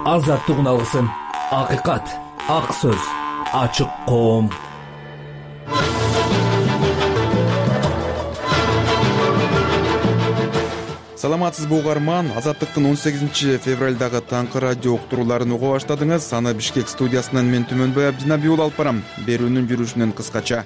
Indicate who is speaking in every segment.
Speaker 1: азаттыгын алгысың. Акыйкат, ак сөз, ачык коом.
Speaker 2: Саламатсызбы угарман, Азаттыктын 18 февралдагы таңкы радио уктурууларын уга баштадыңыз. Аны Бишкек студиясынан мен Түмөнбай Абдинабиул алып барам. Берүүнүн жүрүшүнөн кыскача.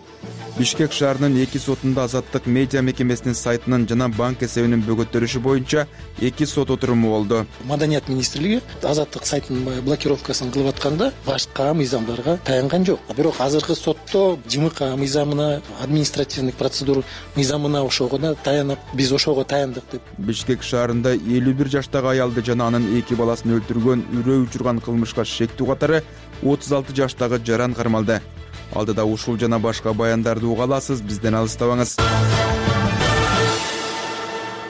Speaker 2: Бишкек шаарынын 2 сотунда Азаттык медиа мекемесинин сайтынын жана банк эсебинин бөгөттөрүшү боюнча 2 сот отуруму болду.
Speaker 3: Маданият министрлиги Азаттык сайтынын блокировкасын кылып атканда башка мыйзамдарга таянган жок. Бирок азыркы сотто ЖМК мыйзамына, административдик процедура мыйзамына ошого таянып, биз ошого таяндык деп.
Speaker 2: Бишкек шаарында 51 жаштагы аялды жана анын 2 баласын өлтүргөн, үрөө учурган кылмышка шектүү катары 36 жаштагы жаран кармалды. Алдыда ушул жана башка баяндарды уга аласыз, бизден алыстабаңыз.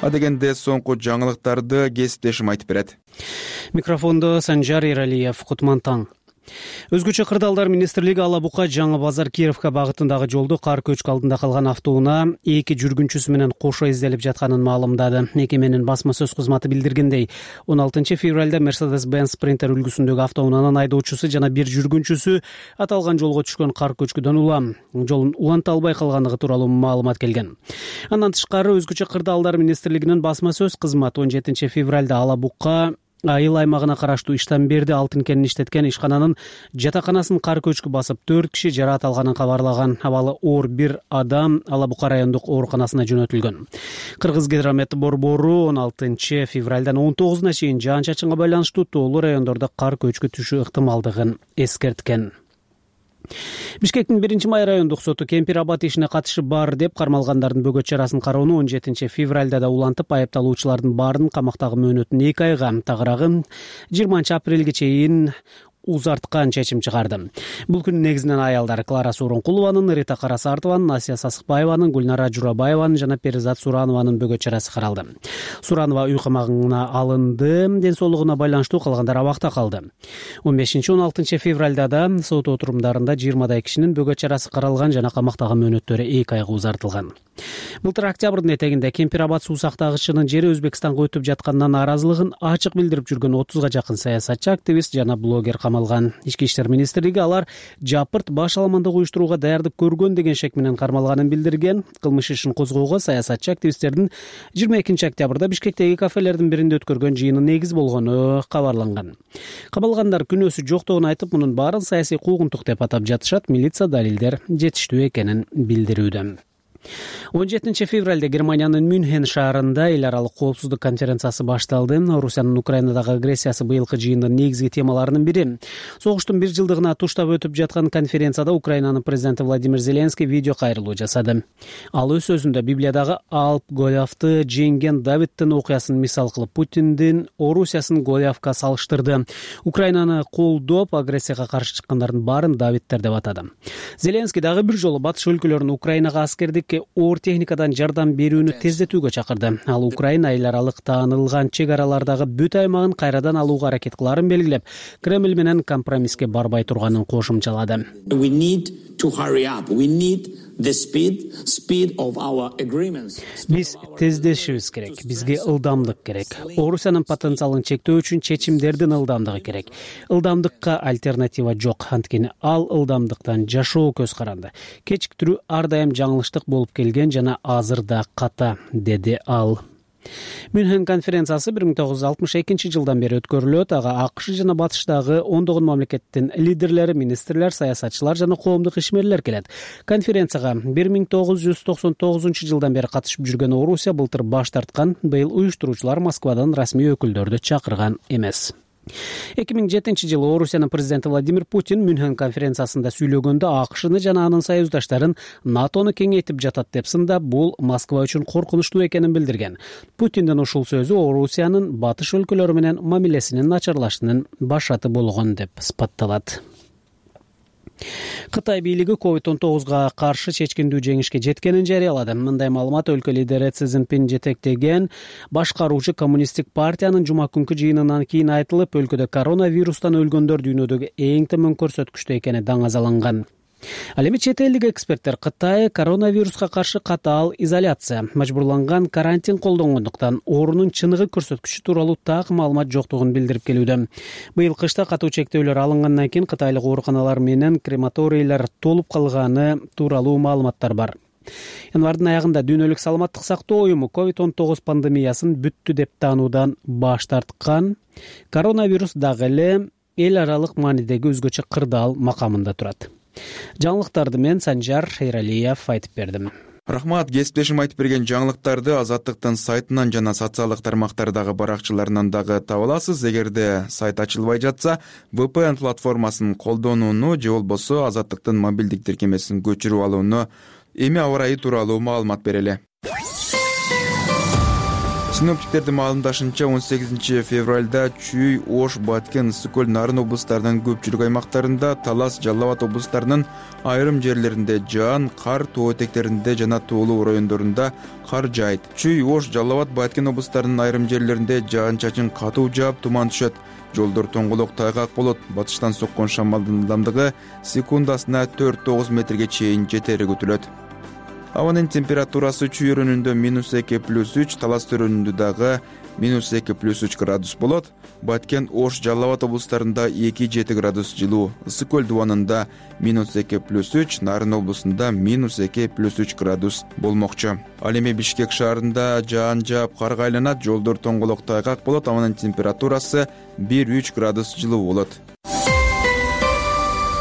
Speaker 2: Адегенде соңку жаңылыктарды кесиптешим айтып берет.
Speaker 4: Микрофондо Санжар Эралиев. Кутман таң. Өзгөчө кырдаалдар министрлиги Ала Бука Жаңы Базар Кировка багытындагы жолду кар көчкү алдында калган автоунаа 2 жүргүнчүсү менен кошо изделип жатканын маалымдады. Мекеменин басма сөз кызматы билдиргендей, 16 февралда Mercedes-Benz Sprinter үлгүсүндөгү автоунаанын айдоочусу жана бир жүргүнчүсү аталган жолго түшкөн кар көчкүдөн жолун уланта албай калгандыгы тууралуу маалымат келген. Андан тышкары өзгөчө кырдаалдар министрлигинин басма сөз кызматы 17 февралда Ала Бука айыл аймагына караштуу Иштанберди алтын кенин иштеткен ишкананын жатаканасын кар көчкү басып 4 киши жараат алганын кабарлаган. Абалы оор бир адам Ала Бука райондук ооруканасына жөнөтүлгөн. Кыргыз гидромет борбору 16 февралдан 19-на чейин жаан-чачынга байланыштуу тоолуу райондордо кар көчкү түшүү ыктымалдыгын эскерткен. Бишкектин 1-май райондук соту Кемпир Абад ишине катышы бар деп кармалгандардын бөгөт чарасын кароону 17 февралда да улантып, айыпталуучулардын баарынын камактагы мөөнөтүн 2 айга, тагыраагын 20 апрелге чейин узарткан чечим чыгарды. Бул күнү негизинен аялдар Клара Сооронкулованын, Рита Карасартованын, Асия Сасыкбаеванын, Гүлнара Журабаеванын жана Перизат Суранованын бөгөт чарасы каралды. Суранова үй камагына алынды, ден соолугуна байланыштуу калгандар абакта калды. 15-16 февралда да сот отурумдарында 20 кишинин бөгөт чарасы каралган жана камактагы мөөнөттөрү 2 айга узартылган. Былтыр октябрдын этегинде Кемпир Абад суу сактагычынын жери Өзбекстанга өтүп жатканынан нааразылыгын ачык билдирип жүргөн 30га жакын саясатчы, активист жана блогер камалган. Ички иштер министрлиги алар жапырт баш аламандык уюштурууга даярдык көргөн деген шек менен кармалганын билдирген. Кылмыш ишин козгоого саясатчы активисттердин 22 октябрда Бишкектеги кафелердин биринде өткөргөн жыйыны негиз болгону кабарланган. Кабылгандар күнөөсү жоктугун айтып, мунун баарын саясий куугунтук деп атап жатышат. Милиция далилдер жетиштүү экенин билдирүүдө. 17 февралда Германиянын Мюнхен шаарында эл аралык коопсуздук конференциясы башталды. Орусиянын Украинадагы агрессиясы быйылкы жыйындын негизги темаларынын бири. Согуштун 1 жылдыгына туштап өтүп жаткан конференцияда Украинанын президенти Владимир Зеленский видео кайрылуу жасады. Ал өз сөзүндө Библиядагы Алп Голиафты жеңген Давидтин окуясын мисал кылып, Путиндин Орусиясын Голиафка салыштырды. Украинаны колдоп, агрессияга каршы чыккандардын баарын Давидтер деп атады. Зеленский дагы бир жолу батыш өлкөлөрүнүн Украинага аскердик оор техникадан жардам берүүнү тездетүүгө чакырды. Ал Украина эл аралык таанылган чек аралардагы бүт аймагын кайрадан алууга аракет кыларын белгилеп, Кремль менен компромисске барбай турганын кошумчалады. Биз тездешибиз керек. Бизге ылдамдык керек. Орусиянын потенциалын чектөө үчүн чечимдердин ылдамдыгы керек. Ылдамдыкка альтернатива жок. Анткени ал ылдамдыктан жашоо көз каранды. Кечиктирүү ар дайым жаңылыштык болуп келген жана азыр да ката, деди ал. Мюнхен конференциясы 1962 жылдан бери өткөрүлөт. Ага АКШ жана батыштагы ондогон мамлекеттин лидерлери, министрлер, саясатчылар жана коомдук ишмерлер келет. Конференцияга 1999 жылдан бери катышып жүргөн Орусия былтыр баш тарткан. Быйыл уюштуруучулар Москвадан расмий өкүлдөрдү чакырган эмес. 2007 жылы Орусиянын президенти Владимир Путин Мюнхен конференциясында сүйлөгөндө АКШны жана анын союздаштарын НАТОну кеңейтип жатат деп сындап, бул Москва үчүн коркунучтуу экенин билдирген. Путиндин ушул сөзү Орусиянын батыш өлкөлөрү менен мамилесинин начарлашынын башаты болгон деп сыпатталат. Кытай бийлиги COVID-19 каршы чечкиндүү жеңишке жеткенин жарыялады. Мындай маалымат өлкө лидери Си Цзиньпин жетектеген башкаруучу коммунисттик партиянын жума күнкү жыйынынан кийин айтылып, өлкөдө коронавирустан өлгөндөр дүйнөдөгү эң төмөн көрсөткүчтө экени даңазаланган. Ал эми чет элдик эксперттер Кытай коронавируска каршы катаал изоляция, мажбурланган карантин колдонгондуктан оорунун чыныгы көрсөткүчү тууралуу так маалымат жоктугун билдирип келүүдө. Быйыл кышта катуу чектөөлөр алынгандан кийин кытайлык ооруканалар менен крематорийлер толуп калганы тууралуу маалыматтар бар. Январдын аягында Дүйнөлүк саламаттык сактоо уюму COVID-19 пандемиясын бүттү деп таануудан баш тарткан. Коронавирус дагы эле эл аралык маанидеги өзгөчө кырдаал макамында турат. Жаңылыктарды мен Санжар Эралиев айтып бердим.
Speaker 2: Рахмат, кесиптешим айтып берген жаңылыктарды Азаттыктын сайтынан жана социалдык тармактардагы баракчаларынан дагы таба аласыз. Эгерде сайт ачылбай жатса, VPN платформасын колдонууну же болбосо Азаттыктын мобилдик тиркемесин көчүрүп алууну, эми аба ырайы тууралуу маалымат берели. Синоптиктердин маалымдашынча 18 февралда Чүй, Ош, Баткен, Ысык көл, Нарын облустарынын көпчүлүк аймактарында, Талас, Жалал Абад облустарынын айрым жерлеринде жаан, кар, тоо этектеринде жана тоолуу райондорунда кар жаайт. Чүй, Ош, Жалал Абад, Баткен облустарынын айрым жерлеринде жаан-чачын катуу жаап, туман түшөт. Жолдор тоңголок, тайгак болот. Батыштан соккон шамалдын ылдамдыгы секундасына 4-9 метрге чейин жетери күтүлөт. Абанын температурасы Чүй өрөөнүндө -2+3, Талас өрөөнүндө дагы -2+3 градус болот. Баткен, Ош, Жалал Абад облустарында 2-7 градус жылуу. Ысык көл дубанында -2+3, Нарын облусунда -2+3 градус болмокчу. Ал эми Бишкек шаарында жаан жаап, карга айланат, жолдор тоңголок, тайгак болот. Абанын температурасы 1-3 градус жылуу болот.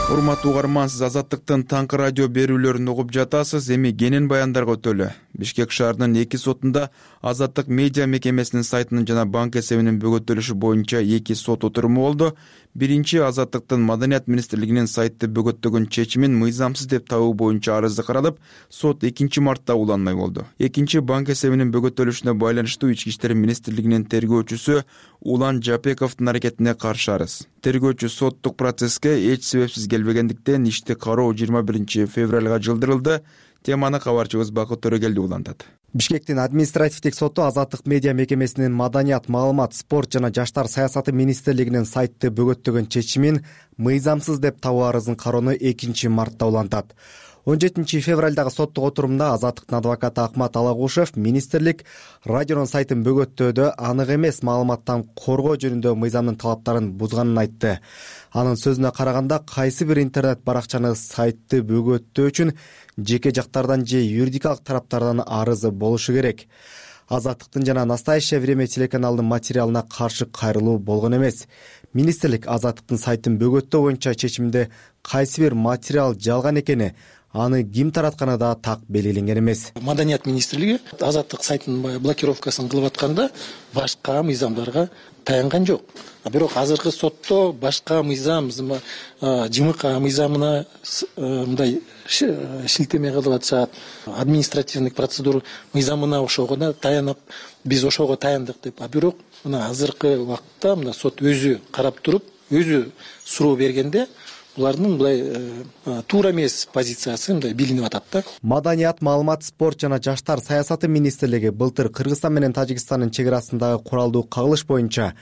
Speaker 2: Урматтуу угарман, сиз Азаттыктын таңкы радио берүүлөрүн угуп жатасыз. Эми кенен баяндарга өтөлү. Бишкек шаарынын 2 сотунда Азаттык медиа мекемесинин сайтынын жана банк эсебинин бөгөттөлүшү боюнча 2 сот отуруму болду. Биринчи Азаттыктын Маданият министрлигинин сайтты бөгөттөгөн чечимин мыйзамсыз деп табуу боюнча арызы каралып, сот 2 мартта уланмай болду. Экинчи банк эсебинин бөгөттөлүшүнө байланыштуу Ички иштер министрлигинин тергөөчүсү Улан Жапековдун аракетине каршы арыз. Тергөөчү соттук процесске эч себепсиз келбегендиктен ишти кароо 21 февралга жылдырылды. Теманы кабарчыбыз Бакыт Төрөгелди улантат.
Speaker 5: Бишкектин административдик соту Азаттык медиа мекемесинин Маданият, маалымат, спорт жана жаштар саясаты министрлигинин сайтты бөгөттөгөн чечимин мыйзамсыз деп табуу арызын кароону 2 мартта улантат. 17 февралдагы соттук отурумда Азаттыктын адвокаты Акмат Алагушев министрлик радионун сайтын бөгөттөөдө анык эмес маалыматтан коргоо жөнүндө мыйзамдын талаптарын бузганын айтты. Анын сөзүнө караганда, кайсы бир интернет баракчаны сайтты бөгөттөө үчүн жеке жактардан же юридикалык тараптардан арызы болушу керек. Азаттыктын жана Настоящее время телеканалынын материалына каршы кайрылуу болгон эмес. Министрлик Азаттыктын сайтын бөгөттөө боюнча чечимде кайсы бир материал жалган экени, аны ким таратканы да так белгиленген эмес.
Speaker 3: Маданият министрлиги Азаттык сайтынын блокировкасын кылып атканда башка мыйзамдарга таянган жок. Бирок азыркы сотто башка мыйзам, ЖМК мыйзамына мындай шилтеме кылып атышат. Административдик процедура мыйзамына ошого таянып, биз ошого таяндык деп. Бирок мына азыркы убакытта мына сот өзү карап туруп, өзү суроо бергенде булардын мындай туура эмес позициясы мындай билинип атат да.
Speaker 5: Маданият, маалымат, спорт жана жаштар саясаты министрлиги былтыр Кыргызстан менен Тажикстандын чек арасындагы куралдуу кагылыш боюнча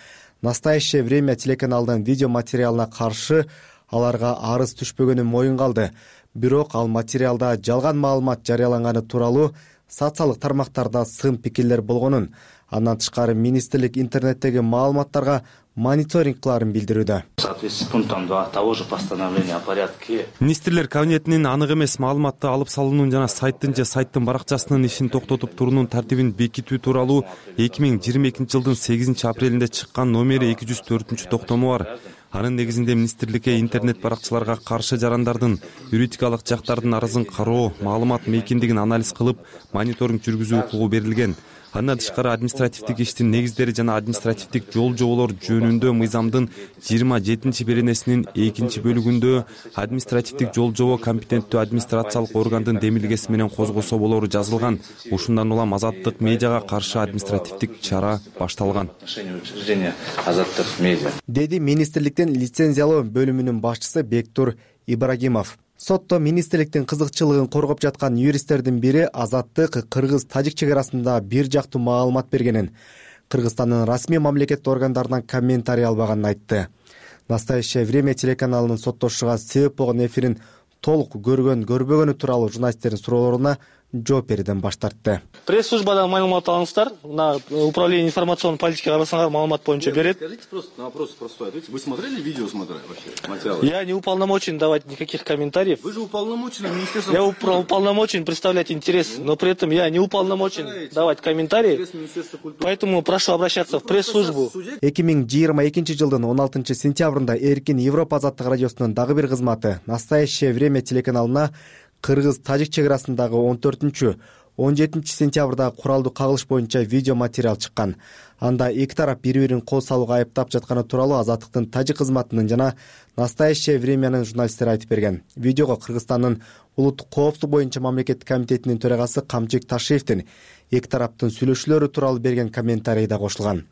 Speaker 5: Настоящее время телеканалдын видео материалына каршы аларга арыз түшпөгөнүн моюнга алды. Бирок ал материалда жалган маалымат жарыяланганы тууралуу социалдык тармактарда сын пикирлер болгонун, андан тышкары министрлик интернеттеги маалыматтарга мониторинг кыларын билдирүүдө.
Speaker 6: В соответствии с пунктом 2 того же постановления о порядке.
Speaker 7: Министрлер кабинетинин анык эмес маалыматты алып салуунун жана сайттын же сайттын баракчасынын ишин токтотуп туруунун тартибин бекитүү тууралуу 2022 жылдын 8 апрелинде чыккан номери 204 токтому бар. Анын негизинде министрликке интернет баракчаларга каршы жарандардын, юридикалык жактардын арызын кароо, маалымат мейкиндигин анализ кылып, мониторинг жүргүзүү укугу берилген. Андан тышкары административдик иштин негиздери жана административдик жол жоболор жөнүндө мыйзамдын 27 беренесинин 2 бөлүгүндө административдик жол жобо компетенттүү администрациялык органдын демилгеси менен козгосо болору жазылган. Ушундан улам Азаттык медиага каршы административдик чара башталган.
Speaker 6: Азаттык медиа.
Speaker 5: Деди министрликтин лицензиялоо бөлүмүнүн башчысы Бектур Ибрагимов. Сотто министрликтин кызыкчылыгын коргоп жаткан юристтердин бири Азаттык Кыргыз-Тажик чек арасында бир жактуу маалымат бергенин, Кыргызстандын расмий мамлекеттик органдарынан комментарий албаганын айтты. Настоящее время телеканалынын соттошууга себеп болгон эфирин толук көргөн көрбөгөнү тууралуу журналисттердин суроолоруна жооп берүүдөн баш тартты.
Speaker 8: Пресс-службадан маалымат алыңыздар. Мына управление информационной политики карасаңар маалымат боюнча берет.
Speaker 9: Скажите просто на вопрос простой ответьте. Вы смотрели видео вообще материалы?
Speaker 8: Я не уполномочен давать никаких комментариев.
Speaker 9: Вы же уполномочены министерством.
Speaker 8: Я уполномочен представлять интерес, но при этом я не уполномочен давать комментарии. Поэтому прошу обращаться в пресс-службу.
Speaker 5: 2022 жылдын 16 сентябрында Эркин Европа азаттык радиосунун дагы бир кызматы «Настоящее время» телеканалына кыргыз-тажик чек арасындагы 14-17 сентябрдагы куралдуу кагылыш боюнча видео материал чыккан. Анда эки тарап бири-бирин кол салууга айыптап жатканы тууралуу Азаттыктын тажик кызматынын жана «Настоящее времянын» журналисттери айтып берген. Видеого Кыргызстандын улуттук коопсуздук боюнча мамлекеттик комитетинин төрагасы Камчек Ташиевдин эки тараптын сүйлөшүүлөрү тууралуу берген комментарий да кошулган.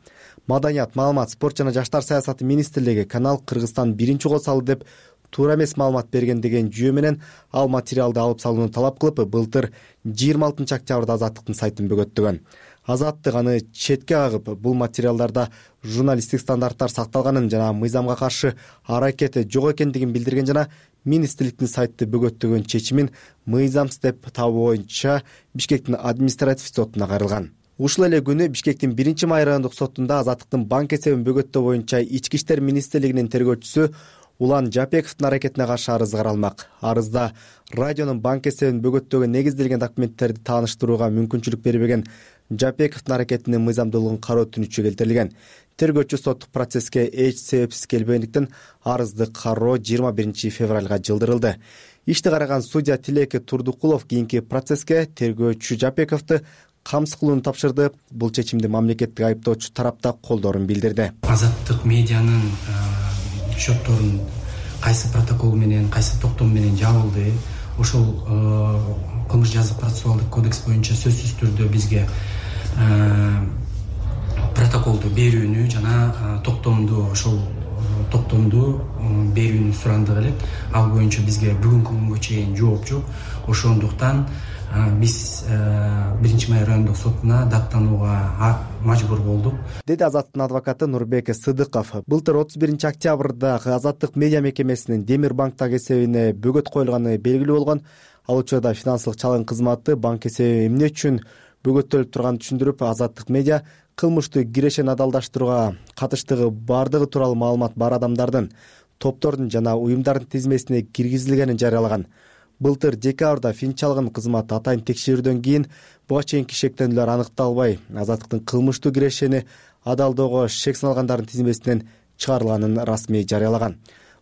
Speaker 5: Маданият, маалымат, спорт жана жаштар саясаты министрлиги канал Кыргызстан биринчи кол салды деп туура эмес маалымат берген деген жүйө менен ал материалды алып салууну талап кылып, былтыр 26 октябрда Азаттыктын сайтын бөгөттөгөн. Азаттык аны четке кагып, бул материалдарда журналисттик стандарттар сакталганын жана мыйзамга каршы аракети жок экендигин билдирген жана министрликтин сайтты бөгөттөгөн чечимин мыйзамсыз деп табуу боюнча Бишкектин административ сотуна кайрылган. Ушул эле күнү Бишкектин 1-май райондук сотунда Азаттыктын банк эсебин бөгөттөө боюнча Ички иштер министрлигинин тергөөчүсү Улан Жапековдун аракетине каршы арыз каралмак. Арызда радионун банк эсебин бөгөттөөгө негизделген документтерди тааныштырууга мүмкүнчүлүк бербеген Жапековдун аракетинин мыйзамдуулугун кароо түнүчү келтирилген. Тергөөчү соттук процесске эч себепсиз келбегендиктен арызды кароо 21 февралга жылдырылды. Ишти караган судья Тилеки Турдукулов кийинки процесске тергөөчү Жапековду камсыз кылууну тапшырды. Бул чечимди мамлекеттик айыптоочу тарапта колдоорун билдирди.
Speaker 10: Азаттык медианын счетторун кайсы протокол менен, кайсы токтом менен жабылды. Ошол кылмыш жазык процессуалдык кодекс боюнча сөзсүз түрдө бизге протоколду берүүнү жана токтомду берүүнү сурандык элек. Ал боюнча бизге бүгүнкү күнгө чейин жооп жок. Ошондуктан биз 1-май райондук сотуна даттанууга мажбур болдук,
Speaker 5: деди Азаттыктын адвокаты Нурбек Сыдыков. Былтыр 31 октябрда Азаттык медиа мекемесинин Демир банктагы эсебине бөгөт коюлганы белгилүү болгон. Ал учурда финансылык чалгын кызматы банк эсеби эмне үчүн бөгөттөлүп турганын түшүндүрүп, Азаттык медиа кылмыштуу кирешени адалдаштырууга катыштыгы бардыгы тууралуу маалымат бар адамдардын, топтордун жана уюмдардын тизмесине киргизилгенин жарыялаган. Былтыр декабрда фин чалгын кызматы атайын текшерүүдөн кийин буга чейинки шектөөнүүлөр аныкталбай, Азаттыктын кылмыштуу кирешени адалдоого шек саналгандардын тизмесинен чыгарылганын расмий жарыялаган.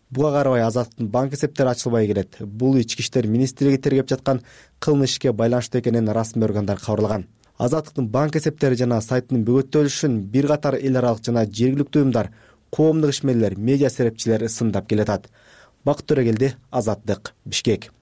Speaker 5: Буга карабай Азаттыктын банк эсептери ачылбай келет. Бул Ички иштер министрлиги тергеп жаткан кылмыш ишке байланыштуу экенин расмий органдар кабарлаган. Азаттыктын банк эсептери жана сайтынын бөгөттөлүшүн бир катар эл аралык жана жергиликтүү уюмдар, коомдук ишмерлер, медиа серепчилер сындап келатат. Бакыт Төрөгелди, Азаттык, Бишкек.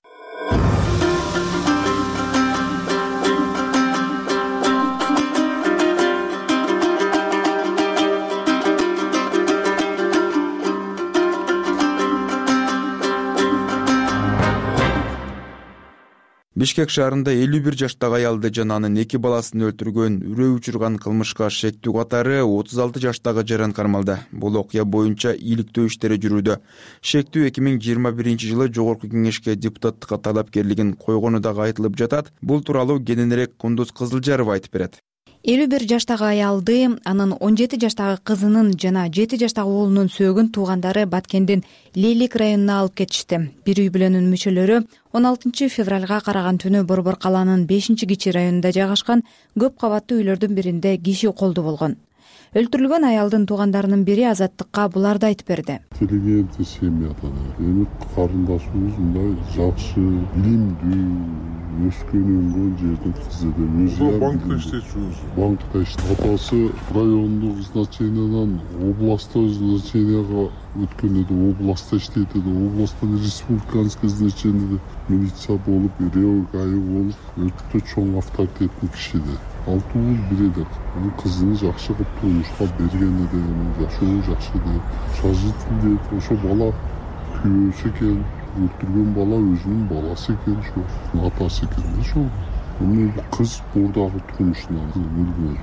Speaker 2: Бишкек шаарында 51 жаштагы аялды жана анын 2 баласын өлтүргөн, үрөө учурган кылмышка шектүү катары 36 жаштагы жаран кармалды. Бул окуя боюнча иликтөө иштери жүрүүдө. Шектүү 2021 жылы Жогорку Кеңешке депутаттыкка талапкерлигин койгону дагы айтылып жатат. Бул тууралуу кененирээк Кундуз Кызылжарова айтып берет.
Speaker 11: 51 жаштагы аялды, анын 17 жаштагы кызынын жана 7 жаштагы уулунун сөөгүн туугандары Баткендин Лейлик районуна алып кетишти. Бир үй бүлөнүн мүчөлөрү 16 февралга караган түнү Борбор калаанын 5-кичи районунда жайгашкан көп кабаттуу үйлөрдүн биринде киши колду болгон. Өлтүрүлгөн аялдын туугандарынын бири Азаттыкка буларды айтып берди.
Speaker 12: Интеллигентный семьядан эми карындашыбыз мындай жакшы, билимдүү, өскөн өнгөн жердин кызы деп өзү банкта иштечүбүз. Банкта атасы райондук значенияден областтык значенияга өткөн эди, областта иштейт эди, областтан республиканский значениеде милиция болуп, райгайы болуп, өтө чоң авторитеттүү киши эди. 6 уул бир эди. Анын кызын жакшы кылып турмушка берген эди, жашоо жакшы деп. Сожительде ошо бала күйөөсү экен, өлтүргөн бала өзүнүн баласы экен, ошо атасы экен ошо. Эми кыз бордагы турмушунан өлгөн.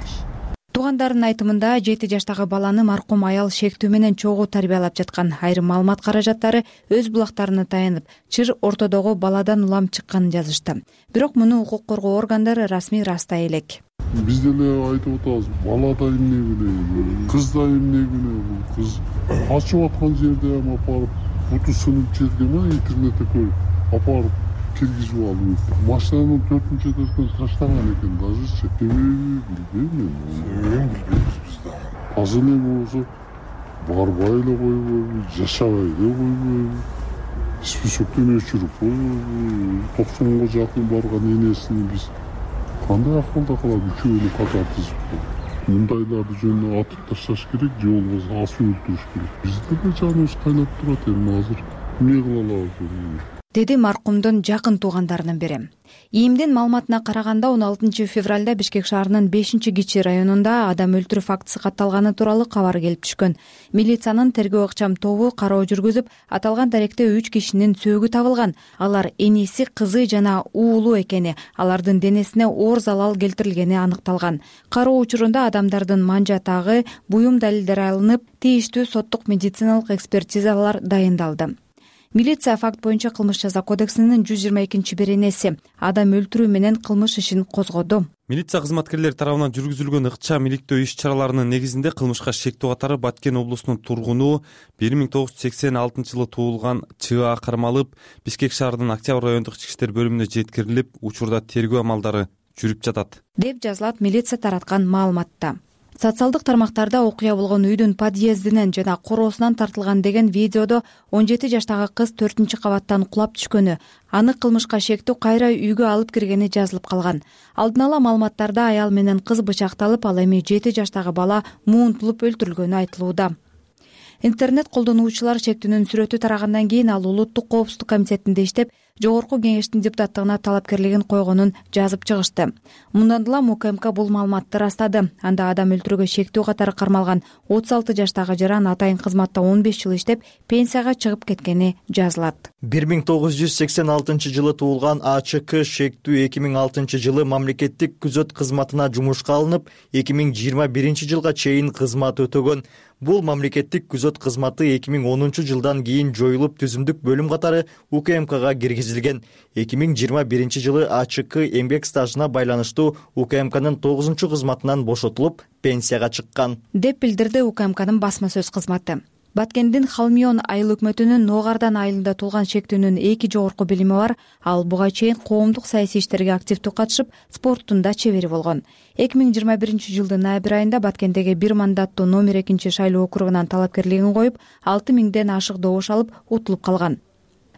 Speaker 11: Туугандарынын айтымында 7 жаштагы баланы маркум аял шектүү менен чогуу тарбиялап жаткан. Айрым маалымат каражаттары өз булактарына таянып, чыр ортодогу баладан улам чыкканын жазышты. Бирок муну укук коргоо органдары расмий ырастай элек.
Speaker 12: Биз деле айтып атабыз, бала да эмне, кыз да эмне, бул кыз качып аткан жерде апарып буту сынып жерге интернетте көрүп апарып киргизип алып, машинанын 4-чү этаждан таштаган экен, дажычы. Себеби билбейм мен. Азыр эле болсо барбай эле койбойбу, жашабай эле койбойбу, списоктон өчүрүп койбойбу, 90га жакын барган энесин биз кандай акылда калат, үчөөнү катар тизип коюп. Мындайларды жөнүнө атып ташташ керек, же болбосо асып өлтүрүш керек. Бизде да жаныбыз кайнап турат, эми азыр эмне кыла алабыз?
Speaker 11: Деди маркумдун жакын туугандарынын бири. ИИМдин маалыматына караганда 16 февралда Бишкек шаарынын 5-Кичи районунда адам өлтүрүү фактысы катталганы тууралуу кабар келип түшкөн. Милициянын тергөө ыкчам тобу кароо жүргүзүп, аталган даректе 3 кишинин сөөгү табылган. Алар эниси, кызы жана уулу экени, алардын денесине оор залал келтирилгени аныкталган. Кароо учурунда адамдардын манжа тагы, буюм далилдери алынып, тийиштүү соттук медициналык экспертизалар дайындалды. Милиция факт боюнча кылмыш жаза кодексинин 122-беренеси адам өлтүрүү менен кылмыш ишин козгоду.
Speaker 7: Милиция кызматкерлери тарабынан жүргүзүлгөн ыкчам иликтөө иш-чараларынын негизинде кылмышка шектүү катары Баткен облусунун тургуну 1986 жылы туулган ЧА кармалып, Бишкек шаарынын Октябрь райондук ички иштер бөлүмүнө жеткирилип, учурда тергөө амалдары жүрүп жатат,
Speaker 11: деп жазылат милиция тараткан маалыматта. Социалдык тармактарда окуя болгон үйдүн подъездинен жана короосунан тартылган деген видеодо 17 жаштагы кыз 4-кабаттан кулап түшкөнү, аны кылмышка шектүү кайра үйгө алып киргени жазылып калган. Алдын ала маалыматтарда аял менен кыз бычакталып, ал эми 7 жаштагы бала муунтулуп өлтүрүлгөнү айтылууда. Интернет колдонуучулар шектүүнүн сүрөтү тарагандан кийин ал Улуттук коопсуздук комитетинде иштеп, Жогорку кеңештин депутаттыгына талапкерлигин койгонун жазып чыгышты. Мындан улам УКМК бул маалыматты ырастады. Анда адам өлтүрүүгө шектүү катары кармалган 36 жаштагы жаран атайын кызматта 15 жыл иштеп, пенсияга чыгып кеткени жазылат.
Speaker 13: 1986 жылы туулган АЧК шектүү 2006 жылы мамлекеттик күзөт кызматына жумушка алынып, 2021 жылга чейин кызмат өтөгөн. Бул мамлекеттик күзөт кызматы 2010 жылдан кийин жоюлуп, түзүмдүк бөлүм катары УКМКга киргизилген. 2021 жылы АЧК эмгек стажына байланыштуу УКМКнын 9 кызматынан бошотулуп, пенсияга чыккан, деп билдирди УКМКнын басма сөз кызматы. Баткендин Халмион айыл өкмөтүнүн Ногардан айылында туулган шектүүнүн 2 жогорку билими бар. Ал буга чейин коомдук саясий иштерге активдүү катышып, спорттун да чебери болгон. 2021 жылдын ноябрь айында Баткендеги бир мандаттуу номер 2 шайлоо округунан талапкерлигин коюп, 6000ден ашык добуш алып, утулуп калган.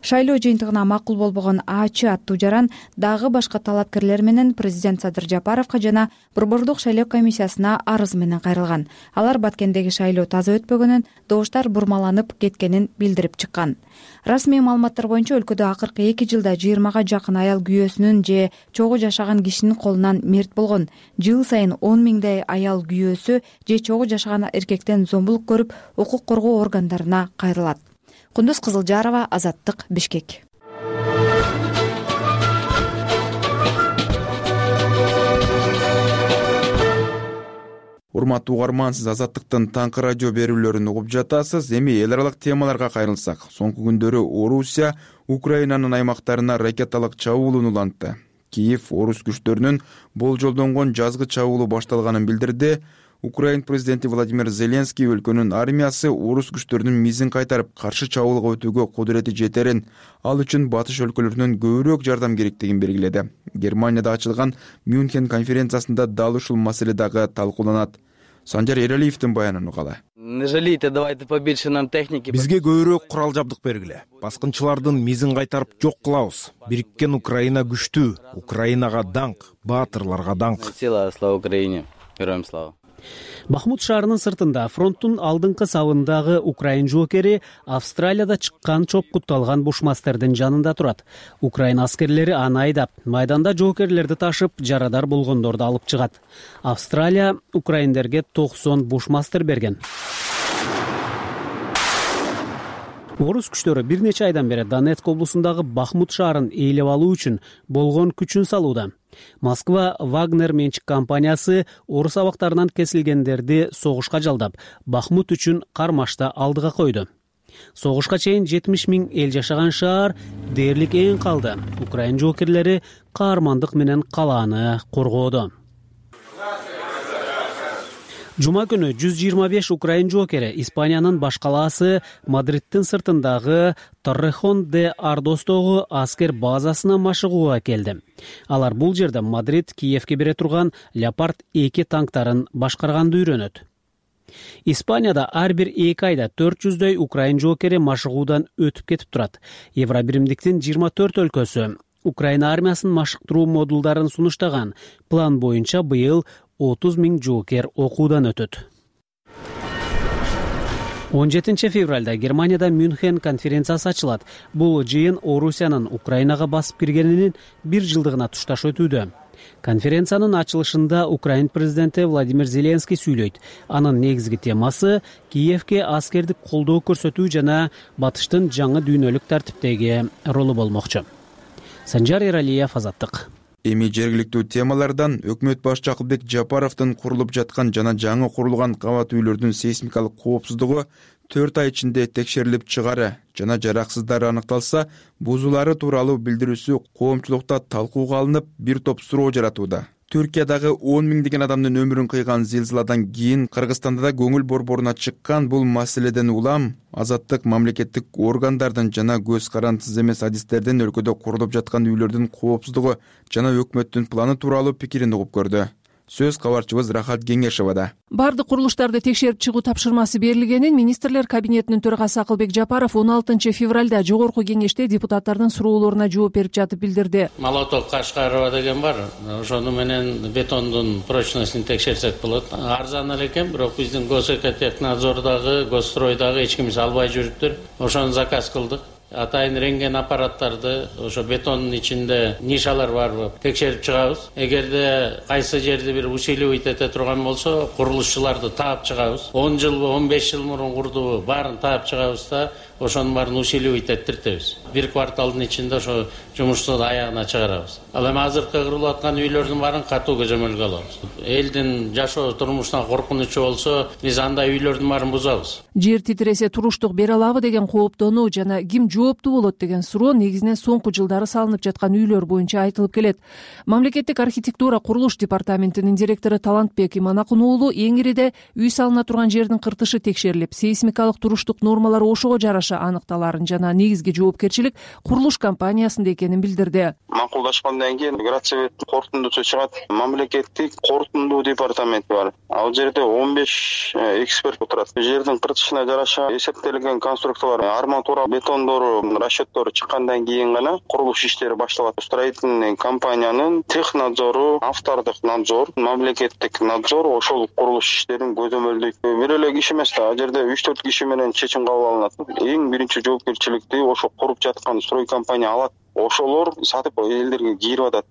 Speaker 13: Шайлоо жыйынтыгына макул болбогон АЧ аттуу жаран дагы башка талапкерлер менен президент Садыр Жапаровго жана Борбордук шайлоо комиссиясына арыз менен кайрылган. Алар Баткендеги шайлоо таза өтпөгөнүн, добуштар бурмаланып кеткенин билдирип чыккан. Расмий маалыматтар боюнча өлкөдө акыркы 2 жылда 20га жакын аял күйөөсүнүн же чогуу жашаган кишинин колунан мерт болгон. Жыл сайын 10 миңдей аял күйөөсү же чогуу жашаган эркектен зомбулук көрүп, укук коргоо органдарына кайрылат. Кундуз Кызылжарова, Азаттык, Бишкек.
Speaker 2: Урматтуу угарман, сиз Азаттыктын таңкы радио берүүлөрүн угуп жатасыз. Эми эл аралык темаларга кайрылсак, соңку күндөрү Орусия Украинанын аймактарына ракеталык чабуулун улантты. Киев орус күчтөрүнүн болжолдонгон жазгы чабуулу башталганын билдирди. Украин президенти Владимир Зеленский өлкөнүн армиясы орус күчтөрүнүн мизин кайтарып, каршы чабуулга өтүүгө кудурети жетерин, ал үчүн батыш өлкөлөрүнөн көбүрөөк жардам керектигин белгиледи. Германияда ачылган Мюнхен конференциясында дал ушул маселе дагы талкууланат. Санжар Эралиевдин баянын угалы.
Speaker 14: Бизге көбүрөөк курал жабдык бергиле. Баскынчылардын мизин кайтарып жок кылабыз. Бириккен Украина күчтүү. Украинага даңк, баатырларга даңк.
Speaker 4: Бахмут шаарынын сыртында фронттун алдыңкы сабындагы украин жоокери Австралияда чыккан чопкутталган бушмастердин жанында турат. Украин аскерлери аны айдап, майданда жоокерлерди ташып, жарадар болгондорду алып чыгат. Австралия украиндерге 90 бушмастер берген. Орус күчтөрү бир нече айдан бери Донецк облусундагы Бахмут шаарын ээлеп алуу үчүн болгон күчүн салууда. Москва Вагнер менчик компаниясы орус абактарынан кесилгендерди согушка жалдап, Бахмут үчүн кармашта алдыга койду. Согушка чейин 70 000 эл жашаган шаар дээрлик эң калды. Украин жоокерлери каармандык менен калааны коргоодо. Жума күнү 125 украин жоокери Испаниянын баш калаасы Мадриддин сыртындагы Торрехон де Ардостогу аскер базасына машыгууга келди. Алар бул жерде Мадрид Киевке бере турган Леопард 2 танктарын башкарганды үйрөнөт. Испанияда ар бир 2 айда 400дөй украин жоокери машыгуудан өтүп кетип турат. Евробиримдиктин 24 өлкөсү Украина армиясынын машыктыруу модулдарын сунуштаган. План боюнча быйыл 30 000 жоокер окуудан өтөт. 17 февралда Германияда Мюнхен конференциясы ачылат. Бул жыйын Орусиянын Украинага басып киргенинин 1 жылдыгына тушташ өтүүдө. Конференциянын ачылышында Украин президенти Владимир Зеленский сүйлөйт. Анын негизги темасы Киевке аскердик колдоо көрсөтүү жана батыштын жаңы дүйнөлүк тартиптеги ролу болмокчу. Санжар Эралиев, Азаттык.
Speaker 2: Эми жергиликтүү темалардан өкмөт башчы Акылбек Жапаровдун курулуп жаткан жана жаңы курулган кабат үйлөрдүн сейсмикалык коопсуздугу 4 ай ичинде текшерилип чыгары жана жараксыздары аныкталса, бузуулары тууралуу билдирүүсү коомчулукта талкууга алынып, бир топ суроо жаратууда. Түркиядагы 10 миңдеген адамдын өмүрүн кыйган зилзаладан кийин Кыргызстанда да көңүл борборуна чыккан бул маселеден улам Азаттык мамлекеттик органдардын жана көз карандысыз эмес адистердин өлкөдө курулуп жаткан үйлөрдүн коопсуздугу жана өкмөттүн планы тууралуу пикирин угуп көрдү. Сөз кабарчыбыз Рахат Кеңешевада.
Speaker 15: Бардык курулуштарды текшерип чыгуу тапшырмасы берилгенин министрлер кабинетинин төрагасы Акылбек Жапаров 16 февралда жогорку кеңеште депутаттардын суроолоруна жооп берип жатып билдирди.
Speaker 16: Молоток Кашкарова деген бар. Ошону менен бетондун прочностун текшерсек болот. Арзан эле экен, бирок биздин Госэкотехнадзордагы, Госстройдагы эч ким албай жүрүптүр. Ошону заказ кылдык. Атайын рентген аппараттарды ошо бетондун ичинде нишалар барбы текшерип чыгабыз. Эгерде кайсы жерде бир усиливать эте турган болсо, курулушчуларды таап чыгабыз. 10 жылбы, 15 жыл мурун курдубу баарын таап чыгабыз да ошонун баарын усиливать эттиртебиз. Бир кварталдын ичинде ошо жумушту аягына чыгарабыз. Ал эми азыркы курулуп аткан үйлөрдүн баарын катуу көзөмөлгө алабыз. Элдин жашоо турмушуна коркунучу болсо, биз андай үйлөрдүн баарын бузабыз.
Speaker 15: Жер титиресе туруштук бере алабы деген кооптонуу жана ким жооптуу болот деген суроо негизинен соңку жылдары салынып жаткан үйлөр боюнча айтылып келет. Мамлекеттик архитектура курулуш департаментинин директору Талантбек Иманакун уулу эң ириде үй салына турган жердин кыртышы текшерилип, сейсмикалык туруштук нормалар ошого жараша аныкталарын жана негизги жоопкерчилик курулуш компаниясында экенин билдирди.
Speaker 17: Макулдашкандан кийин градсовет корутундусу чыгат. Мамлекеттик корутундуу департамент бар. Ал жерде 15 эксперт отурат. Жердин кыртышына жараша эсептелген конструкциялар, арматура, бетондору, расчеттору чыккандан кийин гана курулуш иштери башталат. Строительный компаниянын технадзору, автордук надзор, мамлекеттик надзор ошол курулуш иштерин көзөмөлдөйт. Бир эле киши эмес да, ал жерде 3-4 киши менен чечим кабыл алынат. Эң биринчи жоопкерчиликти ошо куруп жаткан строй компания алат. Ошолор сатып элдерге кирип атат.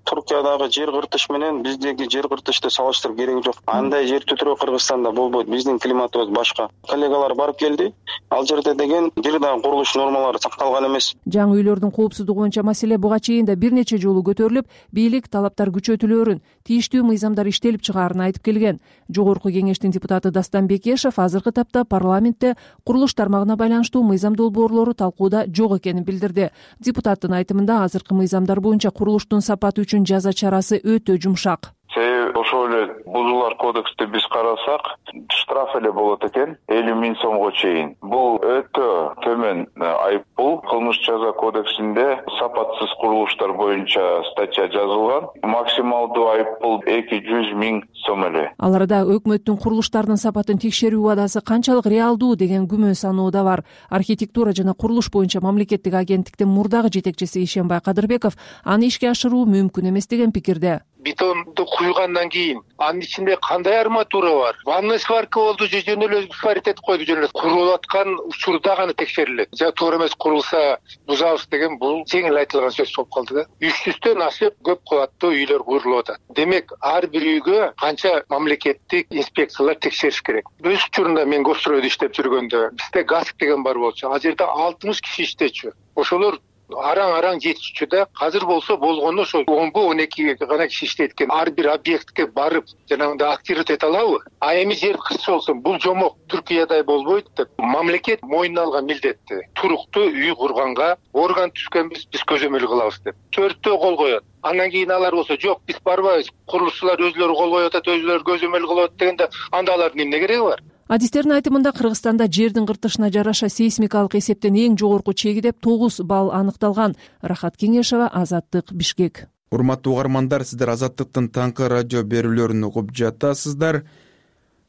Speaker 17: Туркиядагы жер кыртыш менен биздеги жер кыртышты салыштырып кереги жок. Андай жер түтүрүү Кыргызстанда болбойт. Биздин климатыбыз башка. Коллегалар барып келди. Ал жерде деген бир дагы курулуш нормалары сакталган эмес.
Speaker 15: Жаңы үйлөрдүн коопсуздугу боюнча маселе буга чейин да бир нече жолу көтөрүлүп, бийлик талаптар күчөтүлөөрүн, тийиштүү мыйзамдар иштелип чыгаарын айтып келген. Жогорку кеңештин депутаты Дастан Бекешев азыркы тапта парламентте курулуш тармагына байланыштуу мыйзам долбоорлору талкууда жок экенин билдирди. Депутаттын айтымында азыркы мыйзамдар боюнча курулуштун сапаты үчүн жаза чарасы өтө жумшак.
Speaker 18: Себеби ошол эле бузуулар кодексти биз карасак, штраф эле болот экен 50 000 сомго чейин. Бул өтө төмөн айыппул. Кылмыш жаза кодексинде сапатсыз курулуштар боюнча статья жазылган. Максималдуу айыппул 200 000 сом эле.
Speaker 15: Ал арада өкмөттүн курулуштардын сапатын текшерүү убадасы канчалык реалдуу деген күмөн саноо да бар. Архитектура жана курулуш боюнча мамлекеттик агенттиктин мурдагы жетекчиси Ишенбай Кадырбеков аны ишке ашыруу мүмкүн эмес деген пикирде.
Speaker 19: бетонду куйгандан кийин анын ичинде кандай арматура бар, ванный сварка болду же жөн эле сварить этип койду, жөн эле курулуп аткан учурда гана текшерилет. Туура эмес курулса бузабыз деген бул жеңил айтылган сөз болуп калды да. 300дөн ашык көп кабаттуу үйлөр курулуп атат. Демек ар бир үйгө канча мамлекеттик инспекциялар текшериш керек. Өз учурунда мен гостройдо иштеп жүргөндө бизде ГАСК деген бар болчу. Ал жерде 60 киши иштечү. Ошолор араң жетишчү да. Азыр болсо болгону ошо 10-12 гана киши иштейт экен. Ар бир объектке барып жанагындай активдет эте алабы? А эми жер кычча болсун, бул жомок Түркиядай болбойт деп мамлекет мойнуна алган милдетти. Туруктуу үй курганга орган түзгөнбүз, биз көзөмөл кылабыз деп. 4төө кол коет. Андан кийин алар болсо жок, биз барбайбыз. Курулушчулар өзлөрү кол коюп атат, өзлөрү көзөмөл кылып атат дегенде анда алардын эмне кереги бар?
Speaker 15: Адистердин айтымында Кыргызстанда жердин кыртышына жараша сейсмикалык эсептен эң жогорку чеги деп 9 балл аныкталган. Рахат Кеңешова, Азаттык, Бишкек.
Speaker 2: Урматтуу угармандар, сиздер Азаттыктын таңкы радио берүүлөрүн угуп жатасыздар.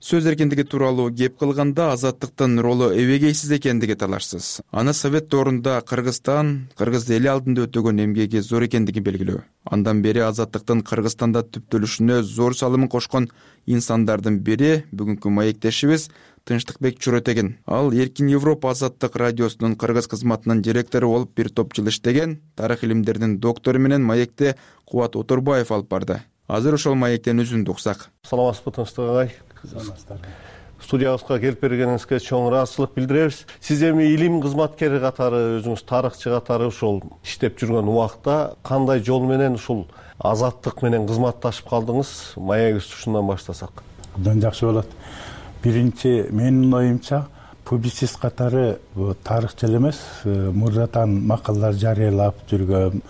Speaker 2: Сөз эркиндиги тууралуу кеп кылганда Азаттыктын ролу эбегейсиз экендиги талашсыз. Аны Совет доорунда Кыргызстан, кыргыз эли алдында өтөгөн эмгеги зор экендиги белгилүү. Андан бери Азаттыктын Кыргызстанда түптөлүшүнө зор салымын кошкон инсандардын бири бүгүнкү маектешибиз Тынчтыкбек Чуротеген. Ал Эркин Европа Азаттык радиосунун кыргыз кызматынын директору болуп бир топ жыл иштеген, тарых илимдеринин доктору менен маекте Кубат Оторбаев алып барды. Азыр ошол маектен үзүндү уксак.
Speaker 20: Саламатсызбы, Тынчтык агай? Студиябызга келип бергениңизге чоң ыраазычылык билдиребиз. Сиз эми илим кызматкери катары, өзүңүз тарыхчы катары ушул иштеп жүргөн убакта кандай жол менен ушул Азаттык менен кызматташып калдыңыз? Маегибиз ушундан баштасак.
Speaker 21: Абдан жакшы болот. Биринчи менин оюмча публицист катары тарыхчы эле эмес, мурдатан макалалар жарыялап жүргөн,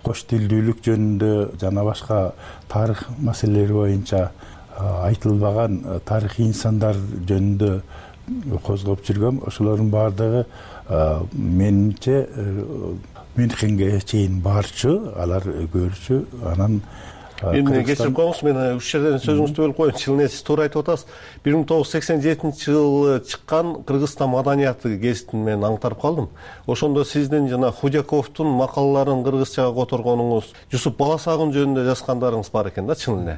Speaker 21: кош тилдүүлүк жөнүндө жана башка тарых маселелери боюнча айтылбаган тарыхый инсандар жөнүндө козгоп жүргөм. Ошолордун баардыгы менимче Мюнхенге чейин барчу, алар көрчү. Анан
Speaker 20: Мени кечирип коюңуз, мен үч жерден сөзүңүздү бөлүп коеюн. Чын сиз туура айтып атасыз. 1987-жылы чыккан Кыргызстан маданияты гезитин мен аңтарып калдым. Ошондо сиздин жана Худяковдун макалаларын кыргызчага которгонуңуз, Жусуп Баласагын жөнүндө жазгандарыңыз бар экен да, чын эле.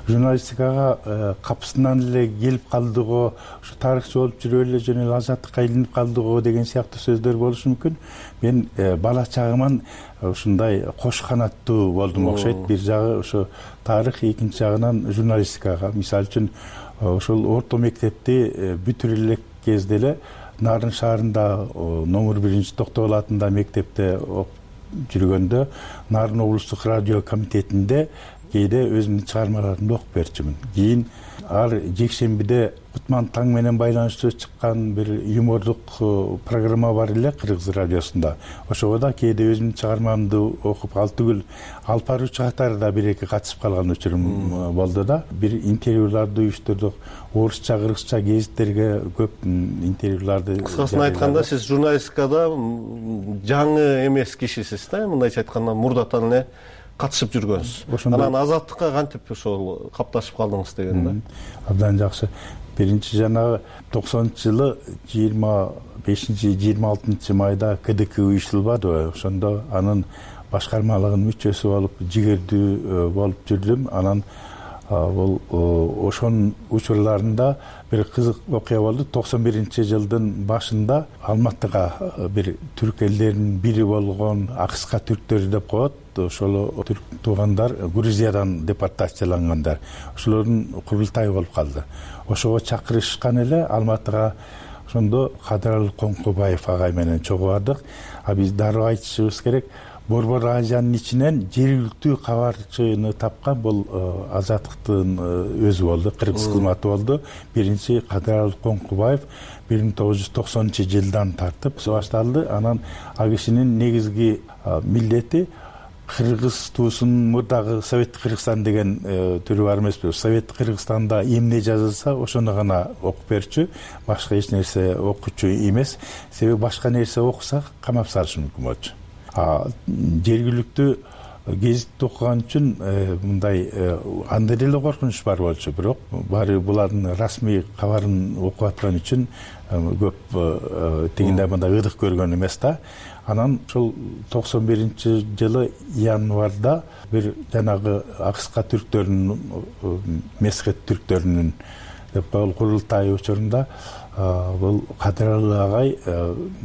Speaker 21: Журналистикага капысынан эле келип калдыго, ушу тарыхчы болуп жүрүп эле жөн эле азаттыкка илинип калдыго деген сыяктуу сөздөр болушу мүмкүн. Мен бала чагыман ушундай кош канаттуу болдум окшойт. Бир жагы ошо тарых, экинчи жагынан журналистикага. Мисалы үчүн ошол орто мектепти бүтүр элек кезде эле Нарын шаарында номер 1 Токтогул атында мектепте окуп жүргөндө Нарын облустук радио комитетинде кээде өзүмдүн чыгармаларымды окуп берчүмүн. Кийин ар жекшембиде Кутман таң менен байланыштуу чыккан бир юмордук программа бар эле Кыргыз радиосунда. Ошого да кээде өзүмдүн чыгармамды окуп, ал түгүл алып баруучу катары да бир-эки катышып калган учурум болду да. Бир интервьюларды уюштурдук. Орусча, кыргызча гезиттерге көп интервьюларды.
Speaker 20: Кыскасын айтканда, сиз журналистикада жаңы эмес кишисиз да, мындайча айтканда мурдатан эле катышып жүргөнсүз. Анан Азаттыкка кантип ошол капташып калдыңыз деген да.
Speaker 21: Абдан жакшы. Биринчи жанагы 90-жылы 25-26 майда КДК уюштурулбады. Ошондо анын башкармалыгынын мүчөсү болуп, жигердүү болуп жүрдүм. Анан бул ошонун учурларында бир кызык окуя болду. 91-жылдын башында Алматыга бир түрк элдеринин бири болгон АКСК түрктөрү деп коет. Ошол түрк туугандар Грузиядан депортациялангандар. Ошолордун курултайы болуп калды. Ошого чакырышкан эле Алматыга. Ошондо Кадыралы Коңкубаев агай менен чогуу бардык. А биз дароо айтышыбыз керек, Борбор Азиянын ичинен жергиликтүү кабарчыны тапкан бул Азаттыктын өзү болду, кыргыз кызматы болду. Биринчи Кадыралы Коңкубаев 1990-жылдан тартып башталды. Анан ал кишинин негизги милдети кыргыз туусунун мурдагы Советтик Кыргызстан деген түрү бар эмеспи? Советтик Кыргызстанда эмне жазылса, ошону гана окуп берчү, башка эч нерсе окучу эмес. Себеби башка нерсе окусак камап салышы мүмкүн болчу. Жергиликтүү гезитти окуган үчүн мындай андай деле коркунуч бар болчу, бирок баары булардын расмий кабарын окуп аткан үчүн көп тигиндей мындай ыдык көргөн эмес да. Анан ушул 91-жылы январда бир жанагы АКШ түрктөрүнүн, Месхет түрктөрүнүн деп курултай учурунда бул Кадыралы агай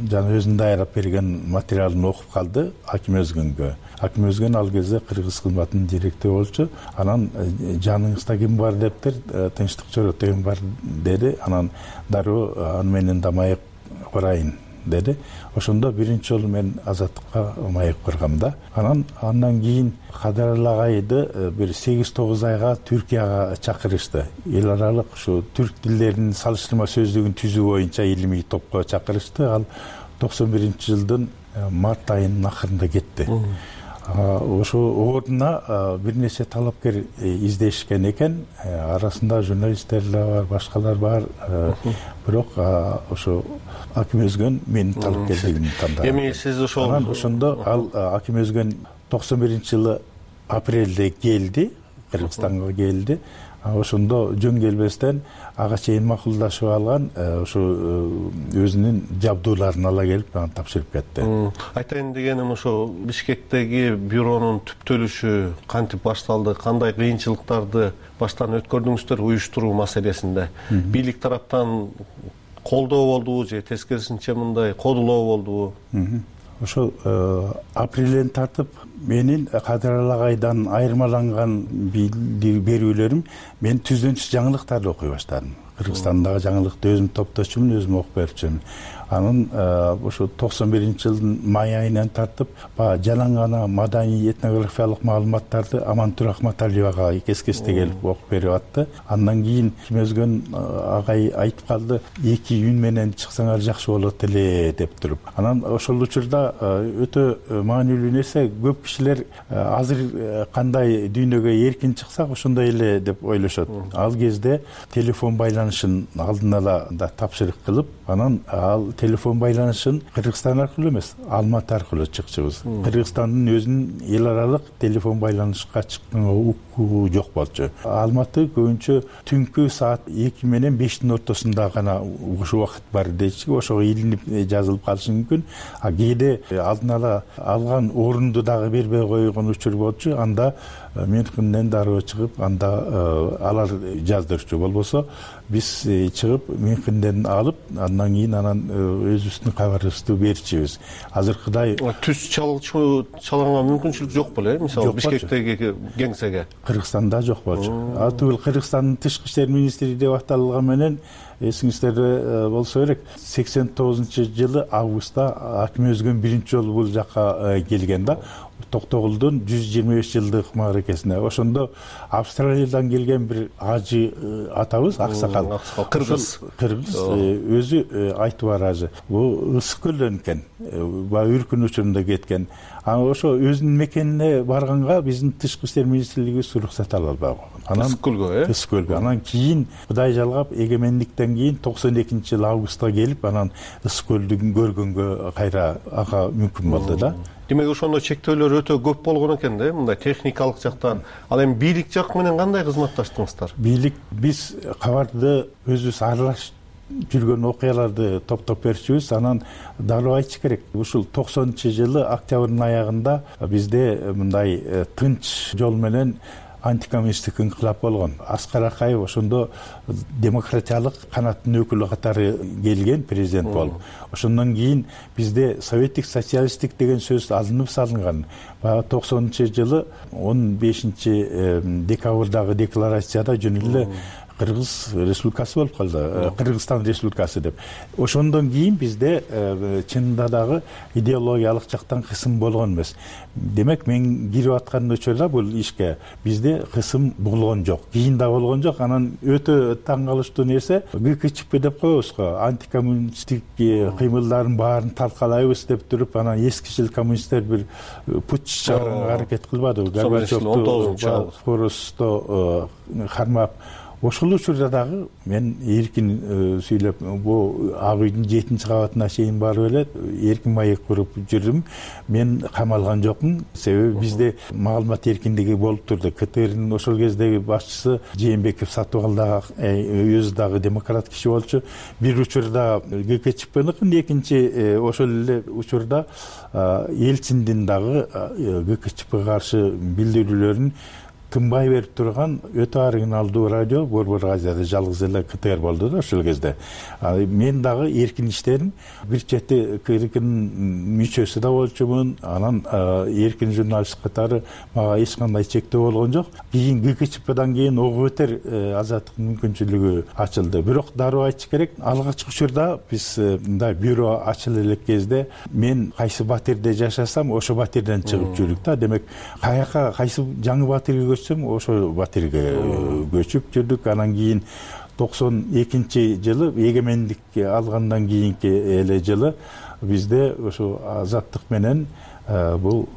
Speaker 21: жана өзүн даярдап берген материалын окуп калды Аким Өзгөнгө. Аким Өзгөн ал кезде кыргыз кызматынын директору болчу. Анан жаныңызда ким бар дептир, Тынчтык Чорот деген бар деди. Анан дароо аны менен да маек курайын деди. Ошондо биринчи жолу мен Азаттыкка маек кургам да. Андан кийин Кадыралы агайды бир 8-9 айга Түркияга чакырышты. Эл аралык ушу түрк тилдеринин салыштырма сөздүгүн түзүү боюнча илимий топко чакырышты. Ал 91-жылдын март айынын акырында кетти. Ошо ордуна бир нече талапкер издешкен экен. Арасында журналисттер бар, башкалар бар. Бирок ошо Аким Өзгөн менин талапкерлигимди тандады.
Speaker 20: Эми сиз
Speaker 21: ошондо ал Аким Өзгөн 91-жылы апрелде келди, Кыргызстанга келди. Ошондо жөн келбестен ага чейин макулдашып алган ошо өзүнүн жабдууларын ала келип аны тапшырып кетти.
Speaker 20: Айтайын дегеним ошо Бишкектеги бюронун түптөлүшү кантип башталды, кандай кыйынчылыктарды баштан өткөрдүңүздөр уюштуруу маселесинде? Бийлик тараптан колдоо болдубу же тескерисинче мындай кодулоо болдубу?
Speaker 21: Ошо апрелден тартып менин Кадыралы агайдан айырмаланган берүүлөрүм, мен түздөн түз жаңылыктарды окуй баштадым. Кыргызстандагы жаңылыкты өзүм топточумун, өзүм окуп берчүмүн. Анын ошо 91-жылдын май айынан тартып жалаң гана маданий этнографиялык маалыматтарды Амантур Ахматалиевага кескесте келип окуп берип атты. Андан кийин Аким Өзгөн агай айтып калды, 2 үн менен чыксаңар жакшы болот эле деп туруп. Анан ошол учурда өтө маанилүү нерсе, көп кишилер азыр кандай дүйнөгө эркин чыксак ошондой эле деп ойлошот. Ал кезде телефон байланышын алдын ала да тапшырык кылып, анан ал телефон байланышын Кыргызстан аркылуу эмес, Алматы аркылуу чыкчубуз. Кыргызстандын өзүнүн эл аралык телефон байланышка чыкканга укугу жок болчу. Алматы көбүнчө түнкү саат 2 менен 5-тин ортосунда гана ушул убакыт бар дейчи, ошого илинип жазылып калышы мүмкүн. Кээде алдын ала алган орунду дагы бербей койгон учур болчу. Анда Мюнхенден дароо чыгып, анда алар жаздырчу. Болбосо биз чыгып Мюнхенден алып, андан кийин өзүбүздүн кабарыбызды берчүбүз. Азыркыдай
Speaker 20: түз чалганга мүмкүнчүлүк жок беле? Мисалы Бишкектеги кеңсеге.
Speaker 21: Кыргызстанда жок болчу. Атыбыл Кыргызстандын тышкы иштер министри деп аталган менен эсиңизде болсо керек, 89-жылы августта Аким Өзгөн биринчи жолу бул жакка келген да. Токтогулдун 125 жылдык мааракесине. Ошондо Австралиядан келген бир ажы атабыз, аксакал, кыргыз өзү айтып бар ажы. Бул ысык көлдөн экен, үркүн учурунда кеткен. Ошо өзүнүн мекенине барганга биздин тышкы иштер министрлигибиз уруксат ала албаган.
Speaker 20: Ысык көлгө,
Speaker 21: Ысык көлгө. Анан кийин Кудай жалгап эгемендиктен кийин 92-жылы августта келип, анан ысык көлдү көргөнгө кайра ага мүмкүн болду да.
Speaker 20: Демек ошондо чектөөлөр өтө көп болгон экен да, мындай техникалык жактан. Ал эми бийлик жак менен кандай кызматташтыңыздар?
Speaker 21: Бийлик, биз кабарды өзүбүз аралашып жүргөн окуяларды топтоп берчүбүз. Анан дароо айтыш керек, ушул 90-жылы октябрдын аягында бизде мындай тынч жол менен антикоммунисттик инкылап болгон. Аскар Акаев ошондо демократиялык канаттын өкүлү катары келген президент болуп. Ошондон кийин бизде советтик социалисттик деген сөз алынып салынган. 90-жылы 15 декабрдагы декларацияда жөн эле Кыргыз республикасы болуп калды, Кыргызстан республикасы деп. Ошондон кийин бизде чынында дагы идеологиялык жактан кысым болгон эмес. Демек, мен кирип аткан учурда бул ишке бизде кысым болгон жок, кийин да болгон жок. Анан өтө таң калыштуу нерсе, ГКЧП деп коебуз го, антикоммунисттик кыймылдардын баарын талкалайбыз деп туруп, анан эскичил коммунисттер бир путч чыгарганга аракет кылбадыбы? Горбачевду Форосто кармап ошол учурда дагы мен эркин сүйлөп бул ак үйдүн 7-кабатына чейин барып эле эркин маек куруп жүрдүм. Мен камалган жокмун, себеби бизде маалымат эркиндиги болуп турду. КТРдин ошол кездеги башчысы Жээнбеков Сатыбал дагы өзү дагы демократ киши болчу. Бир учурда ГКЧПныкын, экинчи ошол эле учурда Элчиндин дагы ГКЧПга каршы билдирүүлөрүн тынбай берип турган өтө оригиналдуу радио Борбор Азияда жалгыз эле КТР болду да ошол кезде. Мен дагы эркин иштедим. Бир чети КРКнын мүчөсү да болчумун. Анан эркин журналист катары мага эч кандай чектөө болгон жок. Кийин ГКЧПдан кийин ого бетер азаттыктын мүмкүнчүлүгү ачылды. Бирок дароо айтыш керек, алгачкы учурда биз мындай бюро ачыла элек кезде мен кайсы батирде жашасам ошо батирден чыгып жүрдүк да. Демек каяка кайсы жаңы батирге ошо батирге көчүп жүрдүк. Анан кийин 92-жылы эгемендик алгандан кийинки эле жылы бизде ошо азаттык менен бул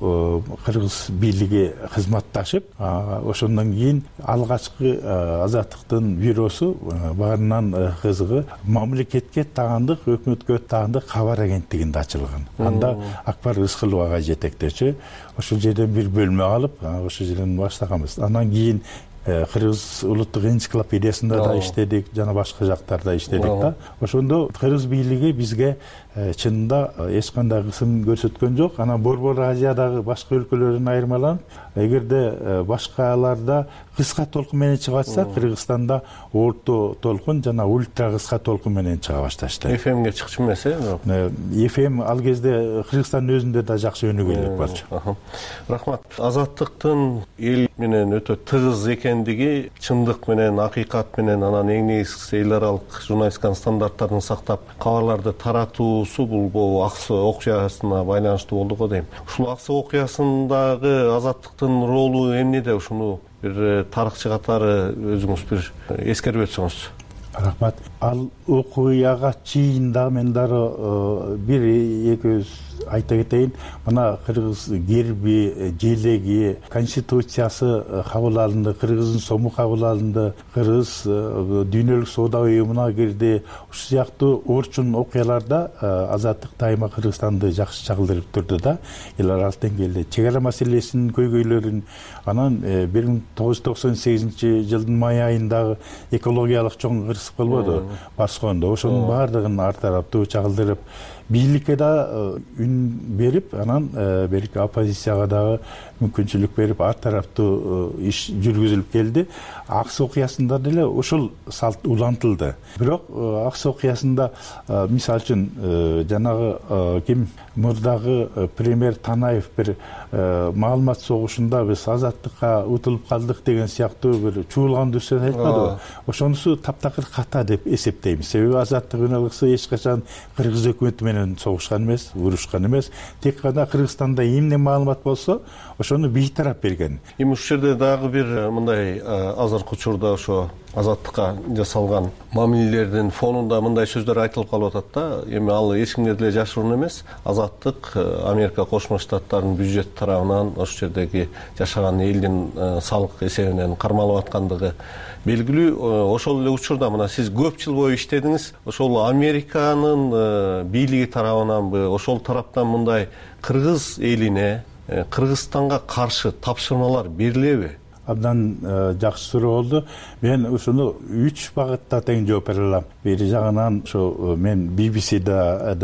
Speaker 21: кыргыз бийлиги кызматташып, ошондон кийин алгачкы азаттыктын бюросу баарынан кызыгы мамлекетке таандык, өкмөткө таандык кабар агенттигинде ачылган. Анда Акбар Ыскылов ага жетектечи. Ошол жерден бир бөлмө алып, ошол жерден баштаганбыз. Андан кийин Кыргыз улуттук энциклопедиясында да иштедик, жана башка жактарда иштедик да. Ошондо кыргыз бийлиги бизге чынында эч кандай кысым көрсөткөн жок. Анан Борбор Азиядагы башка өлкөлөрдөн айырмаланып, эгерде башкаларда кыска толкун менен чыгып атса, Кыргызстанда орто толкун жана ультра кыска толкун менен чыга башташты.
Speaker 20: FM-ге чыкчу эмес
Speaker 21: FM ал кезде Кыргызстандын өзүндө да жакшы өнүгүүлүк болчу.
Speaker 20: Рахмат. Азаттыктын эл менен өтө тыгыз экендиги, чындык менен, акыйкат менен, анан эң негизгиси эл аралык журналистиканын стандарттарын сактап, кабарларды таратуусу бул Аксы окуясына байланыштуу болду го дейм. Ушул Аксы окуясындагы азаттыктын ролу эмнеде? Ушуну бир тарыхчы катары өзүңүз бир эскерип өтсөңүз.
Speaker 21: Рахмат. Ал окуяга чейин да мен дары бир эки айта кетейин. Мына кыргыз герби, желеги, конституциясы кабыл алынды, Кыргыздын сому кабыл алынды, Кыргыз дүйнөлүк соода уюмуна кирди. Ушул сыяктуу орчун окуяларда азаттык дайыма Кыргызстанды жакшы чагылдырып турду да. Эл аралык деңгээлде чек ара маселесинин көйгөйлөрүн, анан 1998-жылдын май айындагы экологиялык чоң кырсык болбоду Барскондо. Ошонун баардыгын ар тараптуу чагылдырып, бийликке да үн берип, анан берик оппозицияга дагы мүмкүнчүлүк берип, ар тараптуу иш жүргүзүлүп келди. Аксы окуясында деле ошол салт улантылды. Бирок Аксы окуясында мисалы үчүн жанагы ким мурдагы премьер Танаев бир маалымат согушунда биз азаттыкка утулуп калдык деген сыяктуу бир чуулгандуу сөз айтпадыбы? Ошонусу таптакыр ката деп эсептеймиз. Себеби азаттык үналыксы эч качан кыргыз өкмөтү менен согушкан эмес, урушкан эмес. Тек гана Кыргызстанда эмне маалымат болсо, ошону бейтарап берген.
Speaker 20: Эми ушул жерде дагы бир мындай азыркы учурда ошо азаттыкка жасалган мамилелердин фонунда мындай сөздөр айтылып калып атат да. Эми ал эч кимге деле жашыруун эмес. Азаттык Америка Кошмо Штаттарынын бюджет тарабынан ошол жердеги жашаган элдин салык эсебинен кармалып аткандыгы белгилүү. Ошол эле учурда мына сиз көп жыл бою иштедиңиз. Ошол Американын бийлиги тарабынанбы, ошол тараптан мындай кыргыз элине, Кыргызстанга каршы тапшырмалар берилеби?
Speaker 21: Абдан жакшы суроо болду. Мен ушуну 3 багытта тең жооп бере алам. Бир жагынан ошо мен BBC-да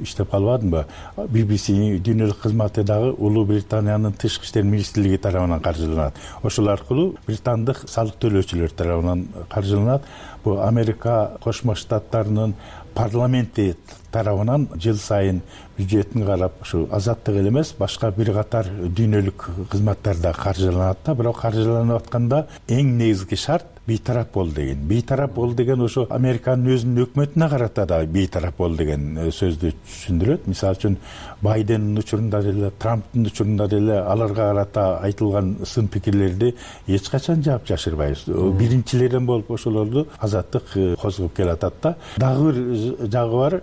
Speaker 21: иштеп калбадымбы? BBC дүйнөлүк кызматы дагы Улуу Британиянын тышкы иштер министрлиги тарабынан каржыланат. Ошол аркылуу британдык салык төлөөчүлөр тарабынан каржыланат. Бул Америка Кошмо Штаттарынын парламенти тарабынан жыл сайын бюджетин карап, ушу азаттык эле эмес, башка бир катар дүйнөлүк кызматтарда каржыланат да. Бирок каржыланып атканда эң негизги шарт бейтарап бол деген. Бейтарап бол деген ошо Американын өзүнүн өкмөтүнө карата да бейтарап бол деген сөздү түшүндүрөт. Мисалы үчүн Байдендин учурунда деле, Трамптын учурунда деле аларга карата айтылган сын пикирлерди эч качан жаап жашырбайбыз. Биринчилерден болуп ошолорду азаттык козгоп келатат да. Дагы бир жагы бар.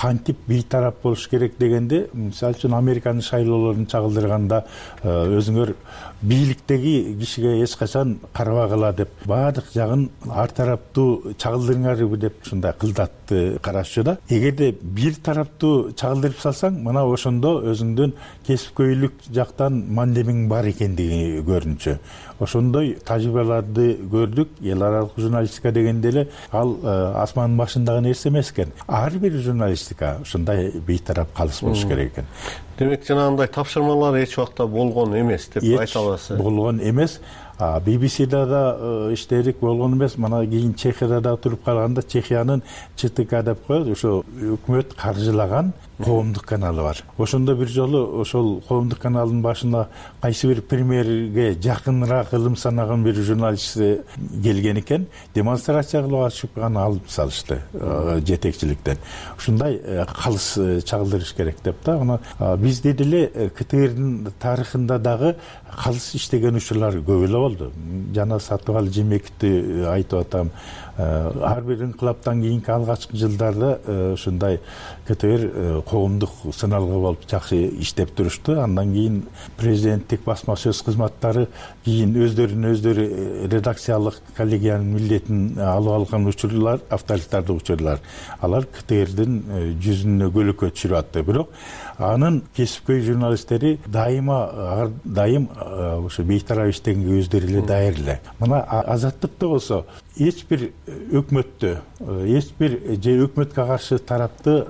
Speaker 21: кантип бейтарап болуш керек дегенде, мисалы үчүн Американын шайлоолорун чагылдырганда өзүңөр бийликтеги кишиге эч качан карабагыла деп баардык жагын ар тараптуу чагылдырыңарбы деп ушундай кылдатты карашчу да. Эгерде бир тараптуу чагылдырып салсаң, мына ошондо өзүңдүн кесипкөйлүк жактан мандебиң бар экендиги көрүнчү. Ошондой тажрыйбаларды көрдүк. Эл аралык журналистика дегенде эле ал асмандын башындагы нерсе эмес экен. Ар бир журналистика ушундай бейтарап калыс болуш керек экен.
Speaker 20: Демек жанагындай тапшырмалар эч убакта болгон эмес деп айта аласыз.
Speaker 21: Болгон эмес. BBC-да да иштедик, болгон эмес. Мына кийин Чехияда да туруп калганда, Чехиянын ЧТК деп коет, ошо өкмөт каржылаган коомдук каналы бар. Ошондо бир жолу ошол коомдук каналдын башына кайсы бир премьерге жакыныраак ылым санаган бир журналист келген экен. Демонстрация кылып чыгып аны алып салышты жетекчиликтен. Ушундай калыс чагылдырыш керек деп да. Мына бизде деле КТРдин тарыхында дагы калыс иштеген учурлар көп эле болду. Жана Сатыбал Жемековду айтып атам. Ар бир инкылаптан кийинки алгачкы жылдарда ушундай КТР коомдук сыналгы болуп жакшы иштеп турушту. Андан кийин президенттик басма сөз кызматтары кийин өздөрү редакциялык коллегиянын милдетин алып алган учурлар, авторитардык учурлар. Алар КТРдин жүзүнө көлөкө түшүрүп атты. Бирок анын кесипкөй журналисттери дайым ошо бейтарап иштегенге өздөрү эле даяр эле. Мына Азаттыкта болсо эч бир өкмөттө, эч бир же өкмөткө каршы тарапты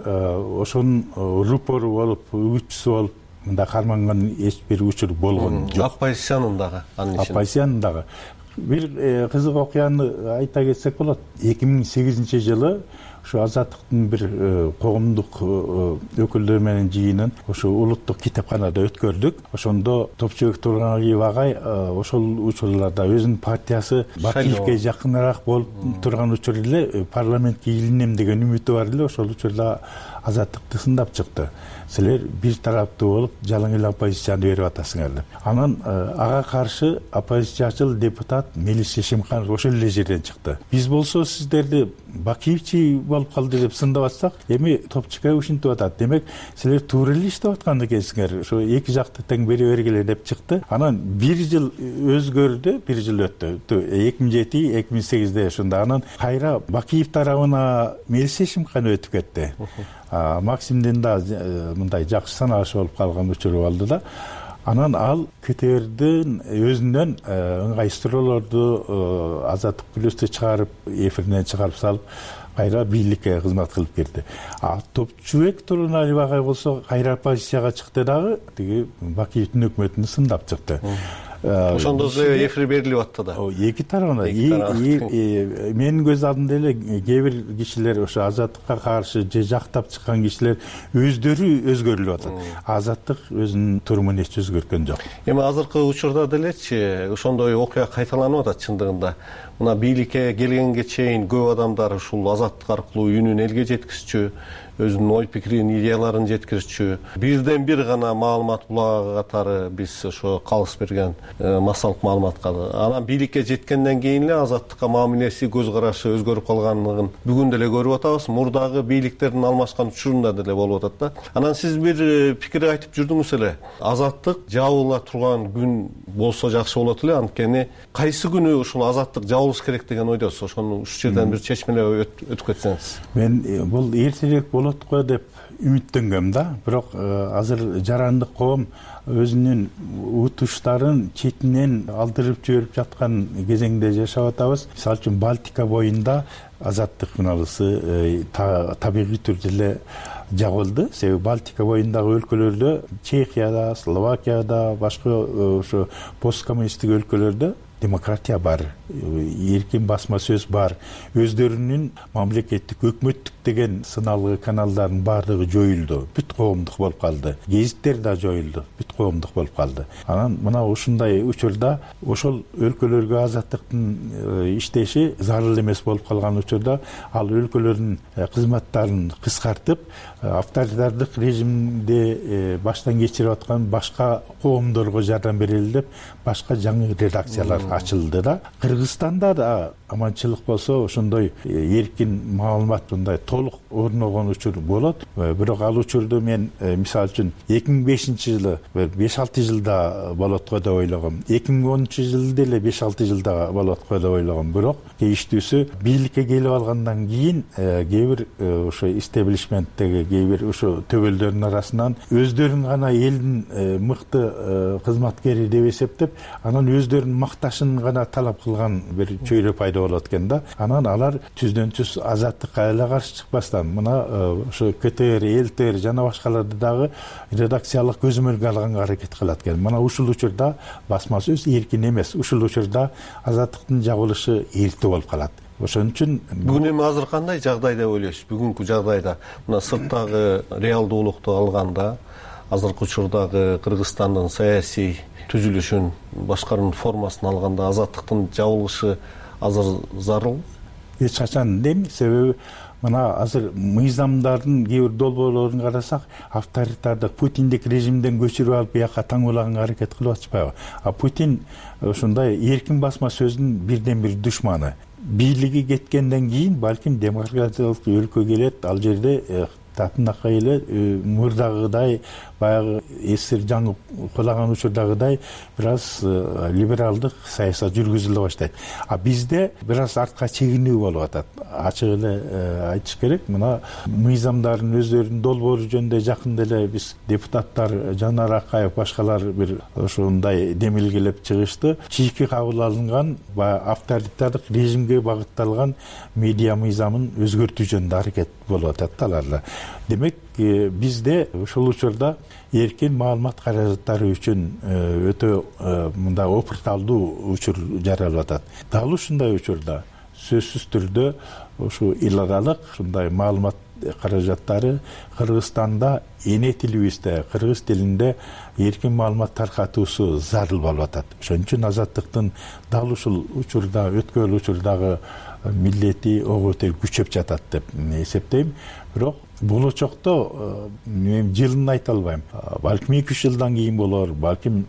Speaker 21: ошонун рупору болуп, үгүтчүсү болуп мындай карманган эч бир учур болгон жок.
Speaker 20: Оппозициянын дагы,
Speaker 21: оппозициянын дагы. Бир кызык окуяны айта кетсек болот. 2008-жылы ошо Азаттыктын бир коомдук өкүлдөр менен жыйынын ошо улуттук китепканада өткөрдүк. Ошондо Топчубек Турганалиев агай ошол учурларда өзүнүн партиясы Бакиевке жакыныраак болуп турган учур эле парламентке илинем деген үмүтү бар эле. Ошол учурда Азаттыкты сындап чыкты. Силер бир тараптуу болуп жалаң эле оппозицияны берип атасыңар деп. Анан ага каршы оппозициячыл депутат Мелис Шешимканов ошол эле жерден чыкты. Биз болсо сиздерди Бакиевчи болуп калды деп сындап атсак, эми Топчубек ушинтип атат. Демек, силер туура эле иштеп аткан экенсиңер. Ошо эки жакты тең бере бергиле деп чыкты. Анан бир жыл өзгөрдү, бир жыл өттү. 2007-2008-де ошондо анан кайра Бакиев тарабына Мелис Шешимканов өтүп кетти. Максимдин да мындай жакшы санааш болуп калган учуру болду да. Анан ал КТРдин өзүнөн ыңгайсыздоолорду Азаттык плюсту чыгарып, эфиринен чыгарып салып, кайра бийликке кызмат кылып берди. Топчубек Турганалиев агай болсо кайра оппозицияга чыкты дагы, тиги Бакиевдин өкмөтүн сындап чыкты.
Speaker 20: Ошондо эфир берилип атты да.
Speaker 21: Эки тарабына. Менин көз алдымда эле кээ бир кишилер ошо Азаттыкка каршы же жактап чыккан кишилер өздөрү өзгөрүлүп атат. Азаттык өзүнүн турумун эч өзгөрткөн жок.
Speaker 20: Эми азыркы учурда делечи ошондой окуя кайталанып атат чындыгында. Мына бийликке келгенге чейин көп адамдар ушул Азаттык аркылуу үнүн элге жеткизчү, өзүнүн ой пикирин, идеяларын жеткирчү. Бирден бир гана маалымат булагы катары биз ошо калыс берген массалык маалыматка. Анан бийликке жеткенден кийин эле Азаттыкка мамилеси, көз карашы өзгөрүп калганын бүгүн деле көрүп атабыз. Мурдагы бийликтердин алмашкан учурунда деле болуп атат да. Анан сиз бир пикир айтып жүрдүңүз эле. Азаттык жабыла турган күн болсо жакшы болот эле. Анткени кайсы күнү ушул Азаттык жабылыш керек деген ойдосуз. Ошону ушул жерден бир чечмелеп өтүп кетсеңиз.
Speaker 21: Мен бул эртерээк болот го деп үмүттөнгөм да. Бирок азыр жарандык коом өзүнүн утуштарын четинен алдырып жиберип жаткан кезеңде жашап атабыз. Мисалы үчүн Балтика боюнда Азаттык каналысы табигый түрдө эле жабылды. Себеби Балтика боюндагы өлкөлөрдө, Чехияда, Словакияда, башка ошо посткоммунисттик өлкөлөрдө демократия бар, эркин басма сөз бар. Өздөрүнүн мамлекеттик, өкмөттүк деген сыналгы каналдардын баардыгы жоюлду. Бүт коомдук болуп калды. Гезиттер да жоюлду. Бүт коомдук болуп калды. Анан мына ушундай учурда ошол өлкөлөргө Азаттыктын иштеши зарыл эмес болуп калган учурда ал өлкөлөрдүн кызматтарын кыскартып, авторитардык режимде баштан кечирип аткан башка коомдорго жардам берели деп башка жаңы редакциялар ачылды да. Кыргызстанда да аманчылык болсо ошондой эркин маалымат мындай толук орногон учур болот. Бирок ал учурду мен мисалы үчүн 2005-жылы 5-6 жылда болот го деп ойлогом. 2010-жылы деле 5-6 жылда болот го деп ойлогом. Бирок иштүүсү бийликке келип алгандан кийин кээ бир ошо истеблишменттеги кээ бир ошо төбөлдөрдүн арасынан өздөрүн гана элдин мыкты кызматкери деп эсептеп, анан өздөрүнүн макташын гана талап кылган бир чөйрө пайда болот экен да. Анан алар түздөн түз азаттыкка эле каршы чыкпастан мына ошо КТР, ЛТР жана башкаларды дагы редакциялык көзөмөлгө алганга аракет кылат экен. Мына ушул учурда басма сөз эркин эмес. Ушул учурда азаттыктын жабылышы эрте болуп калат. Ошон үчүн
Speaker 20: бүгүн эми азыр кандай жагдай деп ойлойсуз? Бүгүнкү жагдайда мына сырттагы реалдуулукту алганда азыркы учурдагы Кыргызстандын саясий түзүлүшүн, башкаруу формасын алганда азаттыктын жабылышы азыр зарыл?
Speaker 21: Эч качан дейм, себеби мына азыр мыйзамдардын кээ бир долбоорлорун карасак, авторитардык Путиндик режимден көчүрүп алып бияка таңуулаганга аракет кылып атышпайбы? А Путин ушундай эркин басма сөздүн бирден бир душманы. Бийлиги кеткенден кийин балким демократиялык өлкө келет, ал жерде татынакай эле мурдагыдай баягы СССР жаңы кулаган учурдагыдай бир аз либералдык саясат жүргүзүлө баштайт. А бизде бир аз артка чегинүү болуп атат. Ачык эле айтыш керек. Мына мыйзамдардын өздөрүнүн долбоору жөнүндө жакында эле биз депутаттар Жанар Акаев башкалар бир ошондой демилгелеп чыгышты. Чийки кабыл алынган авторитардык режимге багытталган медиа мыйзамын өзгөртүү жөнүндө аракет болуп атат аларда. Демек, бизде ушул учурда эркин маалымат каражаттары үчүн өтө мындай опурталдуу учур жаралып атат. Дал ушундай учурда сөзсүз түрдө ушу эл аралык ушундай маалымат каражаттары Кыргызстанда эне тилибизде, кыргыз тилинде эркин маалымат таркатуусу зарыл болуп атат. Ошон үчүн азаттыктын дал ушул учурда, өткөн учурдагы милдети оготер күчөп жатат деп эсептейм. Бирок болочокто мен жылын айта албайм. Балким 2-3 жылдан кийин болор, балким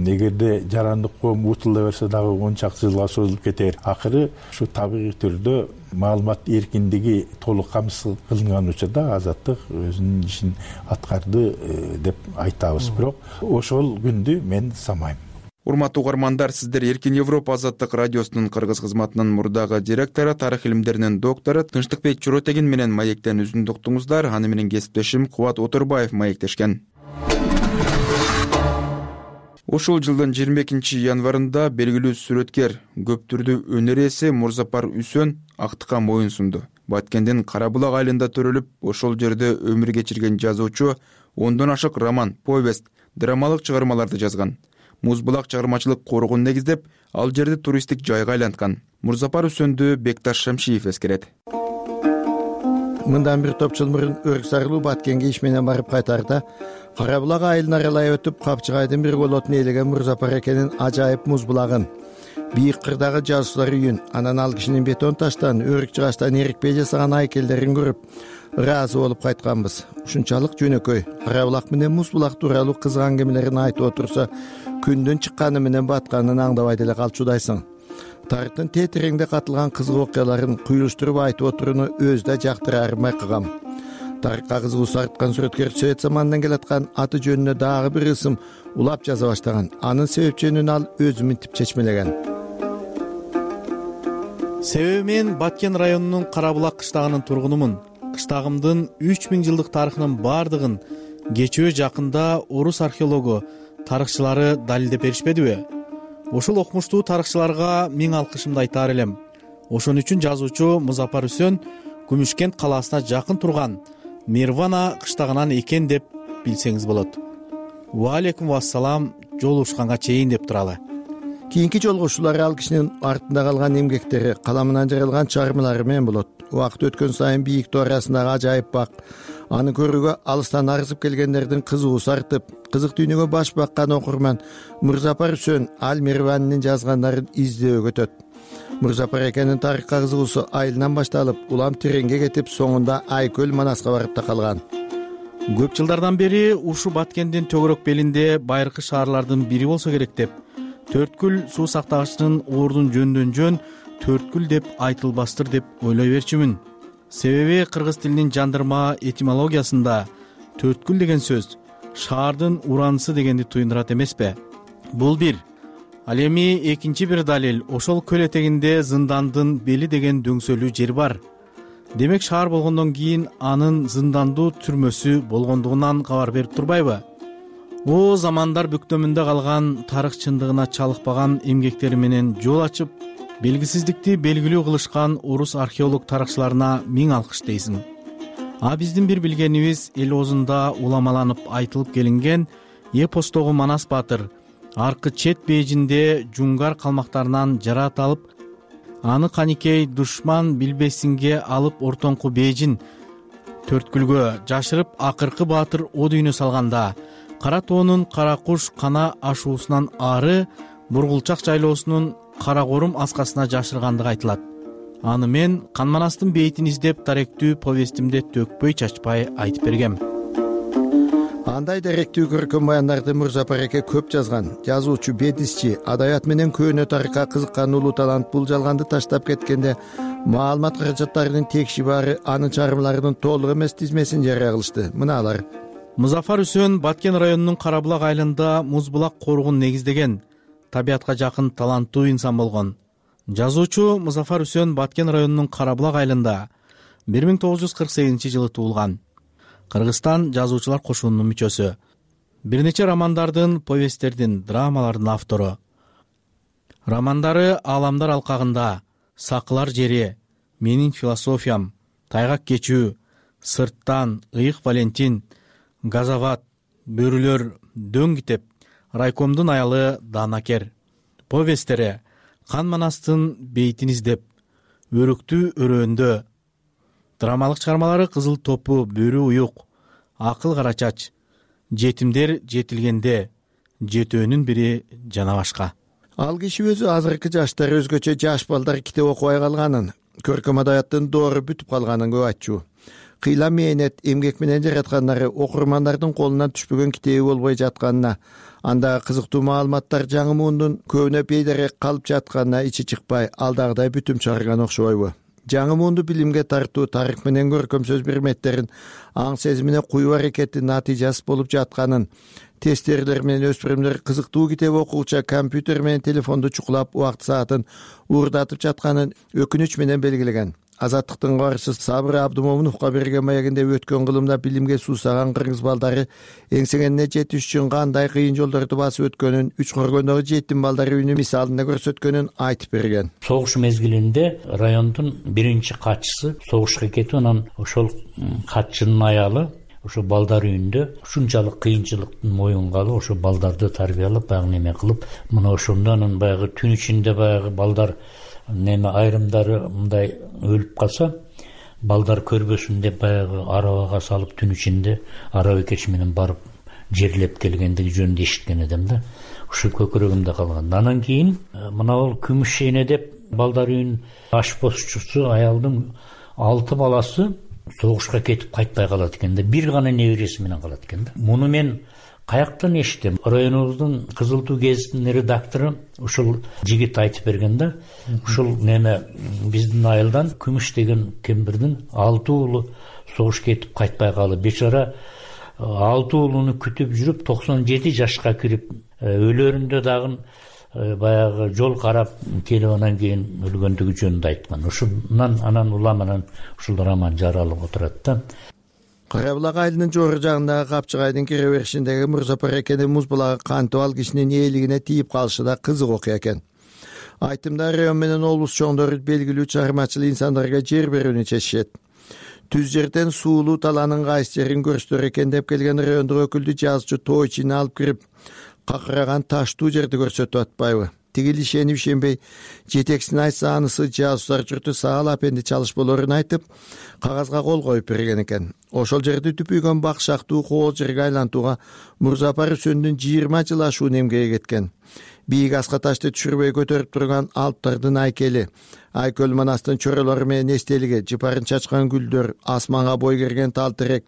Speaker 21: эгерде жарандык коом утула берсе дагы 10 чакты жылга созулуп кетер. Акыры ушу табигый түрдө маалымат эркиндиги толук камсыз кылынган учурда азаттык өзүнүн ишин аткарды деп айтабыз. Бирок ошол күндү мен самайм.
Speaker 2: Урматтуу угармандар, сиздер Эркин Европа азаттык радиосунун кыргыз кызматынын мурдагы директору, тарых илимдеринин доктору Тынчтыкбек Чоротегин менен маектен үзүндү уктуңуздар. Аны менен кесиптешим Кубат Отурбаев маектешкен. Ушул жылдын 22 январында белгилүү сүрөткер, көптүрдүү өнөр ээси Мурзапар Үсөн актыкка моюн сунду. Баткендин Карабулак айылында төрөлүп, ошол жерде өмүр кечирген жазуучу 10дон ашык роман, повесть, драмалык чыгармаларды жазган. Музбулак чыгармачылык коргоон негиздеп, ал жерди туристтик жайга айланткан. Мурзапар Үсөндү Бекташ Шамшиев эскерет.
Speaker 1: Мындан бир топ жыл мурун Өрксарлуу Баткенге иш менен барып кайтарда, Карабулак айылын аралай өтүп, Капчыгайдын бир болотун ээлеген Мурзапар экенин ажайып муз булагын, бийик кырдагы жазуучулар үйүн, анан ал кишинин бетон таштан, өрүк жыгачтан эрикпей жасаган айкелдерин көрүп, ыраазы болуп кайтканбыз. Ушунчалык жөнөкөй Карабулак менен муз булак тууралуу кызык аңгемелерин айтып отурса, күндүн чыкканы менен батканын аңдабай деле калчудайсың. Тарыхтын тетиреңде катылган кызык окуяларын куюлуштуруп айтып отурууну өзү да жактыра армай кылгам. Тарыхка кызыгуусу арткан сүрөткер Совет заманынан келаткан аты жөнүнө дагы бир ысым улап жаза баштаган. Анын себепченин ал өзү мынтип чечмелеген.
Speaker 22: Себеби мен Баткен районунун Карабулак кыштагынын тургунумун. Кыштагымдын 3000 жылдык тарыхынын бардыгын кечөө жакында орус археологу, тарыхчылары далилдеп беришпедиби? Ошол окумуштуу тарыхчыларга миң алкышымды айтаар элем. Ошон үчүн жазуучу Мурзапар Үсөн Күмүшкент калаасына жакын турган Мирвана кыштагынан экен деп билсеңиз болот. Ва алейкум вассалам, жолугушканга чейин деп туралы.
Speaker 1: Кийинки жолугушуулары ал кишинин артында калган эмгектери, каламынан жаралган чыгармалары менен болот. Убакыт өткөн сайын бийик тоо арасындагы ажайып бак, аны көрүүгө алыстан арызып келгендердин кызыгуусу артып, кызык дүйнөгө баш баккан окурман Мурзапар Үсөн ал Мирванинин жазгандарын издөөгө өтөт. Мурзапар экенин тарыхка кызыгуусу айылынан башталып, улам тереңге кетип, соңунда Айкөл Манаска барып такалган.
Speaker 22: Көп жылдардан бери ушу Баткендин төгөрөк белинде байыркы шаарлардын бири болсо керек деп, Төрткүл суу сактагычынын ордун жөндөн жөн төрткүл деп айтылбастыр деп ойлой берчүмүн. Себеби кыргыз тилинин жандырма этимологиясында төрткүл деген сөз шаардын уранысы дегенди туюндурат эмеспи? Бул бир. Ал эми экинчи бир далил, ошол көл этегинде зындандын бели деген дөңсөлүү жер бар. Демек шаар болгондон кийин анын зындандуу түрмөсү болгондугунан кабар берип турбайбы? О замандар бүктөмүндө калган тарых чындыгына чалыкпаган эмгектери менен жол ачып, белгисиздикти белгилүү кылышкан орус археолог тарыхчыларына миң алкыш дейсиң. А биздин бир билгенибиз эл оозунда уламаланып айтылып келинген эпостогу Манас баатыр аркы чет бейжинде жунгар калмактарынан жараат алып, аны каникей душман билбесинге алып ортоңку бейжин төрткүлгө жашырып, акыркы баатыр о дүйнө салганда Кара тоонун Кара куш кана ашуусунан ары Бургулчак жайлоосунун Кара корум аскасына жашыргандыгы айтылат. Аны мен Канманастын бейтин издеп даректүү повестимде төкпөй чачпай айтып бергем.
Speaker 1: Андай даректүү көркөм баяндарды Мурзапар эке көп жазган. Жазуучу, бедисчи, адабият менен көөнө тарыхка кызыккан улуу талант бул жалганды таштап кеткенде маалымат каражаттарынын текши баары анын чыгармаларынын толук эмес тизмесин жарыя кылышты. Мына алар:
Speaker 22: Музафар Үсөн Баткен районунун Карабулак айылында муз булак коргун негиздеген, табиятка жакын таланттуу инсан болгон. Жазуучу Музафар Үсөн Баткен районунун Карабулак айылында 1948-жылы туулган. Кыргызстан жазуучулар кошунунун мүчөсү. Бир нече романдардын, повесттердин, драмалардын автору. Романдары Ааламдар алкагында, Сакылар жери, Менин философиям, Тайгак кечүү, Сырттан, Ыйык Валентин, Газават, Бөрүлөр, Дөң китеп, Райкомдун аялы Данакер. Повесттери Канманастын бейтин издеп, Өрүктүү өрөөндө. Драмалык чыгармалары Кызыл топу, Бөрү уюк, Акыл карачач, Жетимдер жетилгенде, Жетөөнүн бири жана башка.
Speaker 1: Ал киши өзү азыркы жаштар өзгөчө жаш балдар китеп окубай калганын, көркөм адабияттын доору бүтүп калганын көп айтчу. Кыйла мээнет, эмгек менен жаратканнары окурмандардын колунан түшпөгөн китеби болбой жатканына, анда кызыктуу маалыматтар жаңы муундун көбүнө бейдарек калып жатканына ичи чыкпай, алдагыдай бүтүм чыгарган окшобойбу? Жаңы муунду билимге тартуу, тарых менен көркөм сөз бирметтерин, аң сезимине куюу аракеттин натыйжасы болуп жатканын, тесттерлер менен өспүрүмдөр кызыктуу китеп окууча компьютер менен телефонду чукулап убакыт саатын уурдатып жатканын өкүнүч менен белгилеген. Азаттыктын кабарчысы Сабыр Абдумомуновго берген маегинде өткөн кылымда билимге суусаган кыргыз балдары эңсегенине жетиш үчүн кандай кыйын жолдорду басып өткөнүн, үч коргондогу жетим балдар үйүнү мисалында көрсөткөнүн айтып берген.
Speaker 3: Согуш мезгилинде райондун биринчи катчысы согушка кетип, анан ошол катчынын аялы ошо балдар үйүндө ушунчалык кыйынчылыктын моюнга алып, ошо балдарды тарбиялап, баягы неме кылып, мына ошондо анан баягы түн ичинде баягы балдар айрымдары мындай өлүп калса, балдар көрбөсүн деп баягы арабага салып түн ичинде араба кеч менен барып жерлеп келгендиги жөнүндө эшиткен эдим да. Ушу көкүрөгүмдө калган. Анан кийин мына бул Күмүш эне деп балдар үйүнүн ашпозчусу аялдын 6 баласы согушка кетип кайтпай калат экен да. Бир гана небереси менен калат экен да. Муну мен каяктан эшиттим? Районубуздун Кызыл туу гезитинин редактору ушул жигит айтып берген да. Ушул неме биздин айылдан Күмүш деген кемпирдин 6 уулу согуш кетип кайтпай калып, бечара 6 уулуну күтүп жүрүп 97 жашка кирип, өлөрүндө дагы баягы жол карап келип анан кийин өлгөндүгү жөнүндө айткан. Ушундан анан улам анан ушул роман жаралып отурат да.
Speaker 1: Карабулак айылынын жогору жагындагы Капчыгайдын кире беришиндеги Мурзапар экенин муз булагы кантип ал кишинин ээлигине тийип калышы да кызык окуя экен. Айтымда район менен облус чоңдору белгилүү чыгармачыл инсандарга жер берүүнү чечишет. Түз жерден суулуу талаанын кайсы жерин көрсөтөр экен деп келген райондук өкүлдү жазуучу тоо ичине алып кирип, какыраган таштуу жерди көрсөтүп атпайбы? Тигил ишенип ишенбей, жетексин айтса анысы жазуучулар журту Саал апенди чалыш болорун айтып, кагазга кол коюп берген экен. Ошол жерди түпүйгөн бакшактуу кооз жерге айлантууга Мурзапар Үсөндүн 20 жыл ашуун эмгеги кеткен. Бийик аска ташты түшүрбөй көтөрүп турган Алптардын айкели, Айкөл Манастын чоролору менен эстелиги, жыпарын чачкан гүлдөр, асманга бой керген тал терек,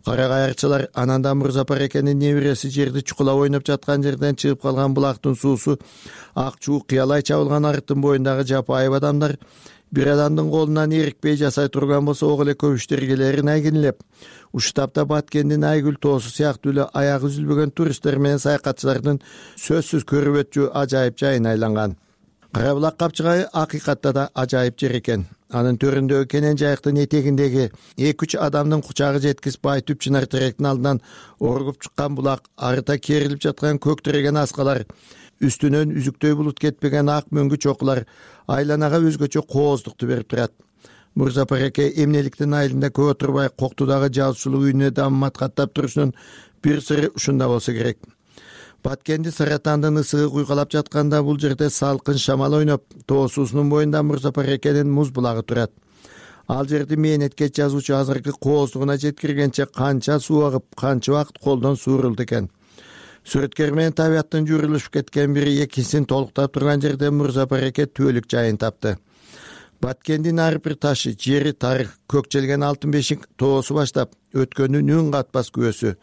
Speaker 1: кара кайырчылар ананда Мырзапар экенин небереси жерди чукулап ойноп жаткан жерден чыгып калган булактын суусу ак чуу кыялай чабылган арыктын боюндагы жапайып адамдар бир адамдын колунан эрикпей жасай турган болсо ого эле көбүштергелерин айгинелеп ушул тапта Баткендин Айгүл тоосу сыяктуу эле аягы үзүлбөгөн туристтер менен саякатчылардын сөзсүз көрүп өтчү ажайып жайына айланган. Кара булак капчыгайы акыйкатта да ажайып жер экен. Анын төрүндөгү кенен жайыктын этегиндеги 2-3 адамдын кучагы жеткис бай түп чынар теректин алдынан оргуп чыккан булак, арыта керилип жаткан көк тиреген аскалар, үстүнөн үзүктөй булут кетпеген ак мөңгү чокулар айланага өзгөчө кооздукту берип турат. Мырзапар эке эмнеликтин айылында көп отурбай Коктудагы жазуучулук үйүнө даммат каттап турушунун бир сыры ушунда болсо керек. Баткенди Саратандын ысыгы куйгалап жатканда бул жерде салкын шамал ойноп, тоо суусунун боюнда Мырзапар экенин муз булагы турат. Ал жерди мээнеткеч жазуучу азыркы кооздугуна жеткиргенче канча суу агып, канча убакыт колдон суурулду экен. Сүрөткер менен табияттын журулушуп кеткен бири экинчисин толуктап турган жерде Мырзапар эке түбөлүк жайын тапты. Баткендин ар бир ташы, жери, тарых, көкчелген алтын бешик тоосу баштап өткөнүн үн катпас күбөсү.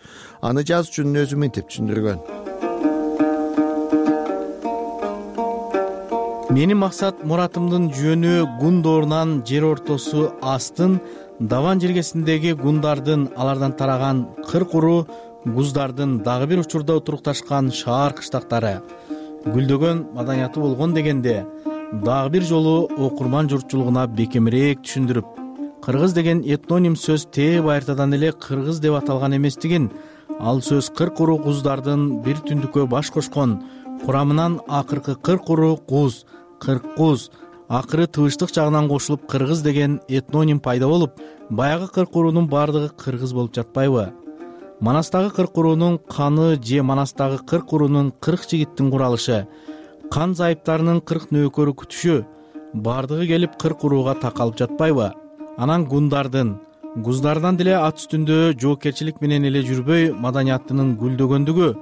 Speaker 1: Аны жазуучунун өзү мынтип түшүндүргөн.
Speaker 22: Менин максат Муратымдын жөнү гундоорунан жер ортосу астын Даван жергесиндеги гундардын алардан тараган кыр-куру гуздардын дагы бир учурда утурукташкан шаар кыштактары гүлдөгөн маданияты болгон дегенде дагы бир жолу окурман журтчулугуна бекемирээк түшүндүрүп, кыргыз деген этноним сөз тээ байыртадан эле кыргыз деп аталган эместигин, ал сөз кыр-куру гуздардын бир түндүккө баш кошкон, курамынан акыркы кыр-куру гуз, кырк-гуз, акыры тыбыштык жагынан кошулуп кыргыз деген этноним пайда болуп, баягы кыр-курунун баардыгы кыргыз болуп жатпайбы? Манастагы кыр-курунун каны же Манастагы кыр-курунун 40 жигиттин куралышы, кан зайыптарынын 40 нөөкөрү күтүшү баардыгы келип кыр-курууга такалып жатпайбы? Анан гундардын, гуздардан деле ат үстүндө жоопкерчилик менен эле жүрбөй маданиятынын гүлдөгөндүгү,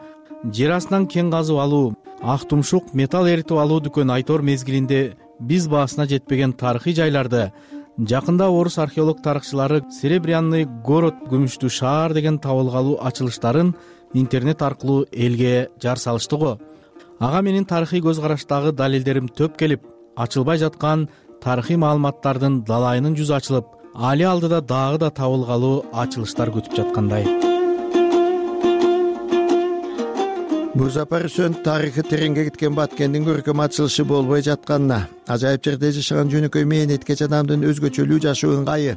Speaker 22: жер астынан кен казып алуу, ак тумшук металл эритип алуу дүкөн айтор мезгилинде биз баасына жетпеген тарыхый жайларды жакында орус археолог тарыхчылары Серебряный город, күмүштүү шаар деген табылгалуу ачылыштарын интернет аркылуу элге жар салышты го. Ага менин тарыхый көз караштагы далилдерим төп келип, ачылбай жаткан тарыхый маалыматтардын далайынын жүзү ачылып, али алдыда дагы да табылгалуу ачылыштар күтүп жаткандай.
Speaker 1: Мырзапар Үсөн тарыхы тереңге кеткен Баткендин көркөм ачылышы болбой жатканына, ажайып жерде жашаган жөнөкөй мээнеткеч адамдын өзгөчөлүү жашоо ыңгайы,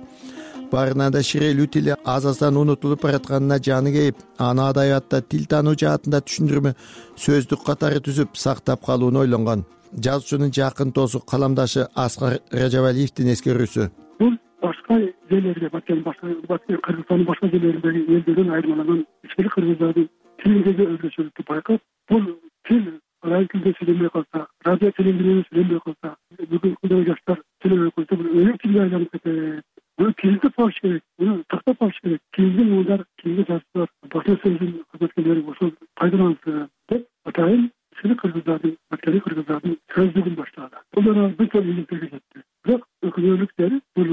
Speaker 1: баарынан да ширелүү тили аз-аздан унутулуп баратканына жаны кейип, аны адабиятта тил таануу жаатында түшүндүрмө сөздүк катары түзүп сактап калууну ойлонгон. Жазуучунун жакын доосу, каламдашы Аскар Ражабалиевдин эскерүүсү.
Speaker 6: Бул башка жерлерде, Кыргызстандын башка жерлериндеги элдерден айырмаланган ички кыргыздардын тилиндеги өзгөчөлүктү байкап, бул тил район тилинде сүйлөнбөй калса, радио телевидениеде сүйлөнбөй калса, бүгүнкү жаштар сүйлөнбөй калса, бул өнөр тилге айланып кетет. Бул тилди калыш керек, муну тактап калыш керек. Кийинки муундар, кийинки жаштар, башка сөздүн кызматкерлери ошол пайдалансын деп атайын кыргыздардын сөздүгүн баштады. Бул бир топ илимтерге жетти. Бирок өкүнөрлүктөрү бул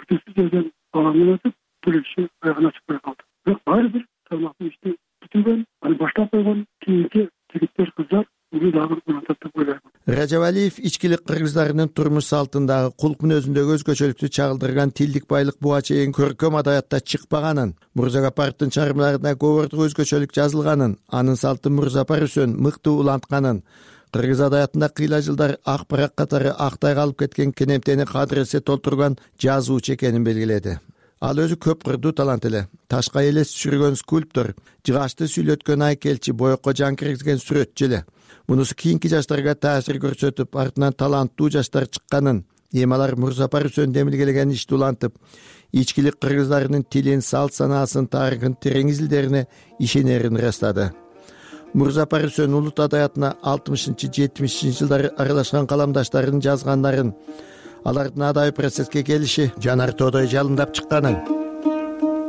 Speaker 6: бүтүнсүз жерден балаңын өтүп, бул иши аягына чыкпай калды. Бирок баары бир салмактуу ишти бүтүнгөн, аны баштап койгон кийинки жигиттер, кыздар муну дагы унутат деп ойлойм.
Speaker 1: Ражабалиев ичкилик кыргыздарынын турмуш салтындагы, кулк мүнөзүндөгү өзгөчөлүктү чагылдырган тилдик байлык буга чейин көркөм адабиятта чыкпаганын, Мурзапаровдун чыгармаларында көбөрдүк өзгөчөлүк жазылганын, анын салты Мырзапар Үсөн мыкты улантканын, кыргыз адабиятында кыйла жылдар ак барак катары актай калып кеткен кенемтени кадыресе толтурган жазуучу экенин белгиледи. Ал өзү көп кырдуу талант эле. Ташка элес түшүргөн скульптор, жыгачты сүйлөткөн айкелчи, боекко жан киргизген сүрөтчү эле. Мунусу кийинки жаштарга таасир көрсөтүп, артынан таланттуу жаштар чыкканын, эми алар Мырзапар Үсөн демилгелеген ишти улантып, ичкилик кыргыздарынын тилин, салт санаасын, тарыхын терең изилдерине ишенерин ырастады. Мырзапар Үсөн улут адабиятына 60-70 жылдары аралашкан каламдаштарын жазгандарын, алардын адабий процесске келиши жанар тоодой жалындап чыкканын.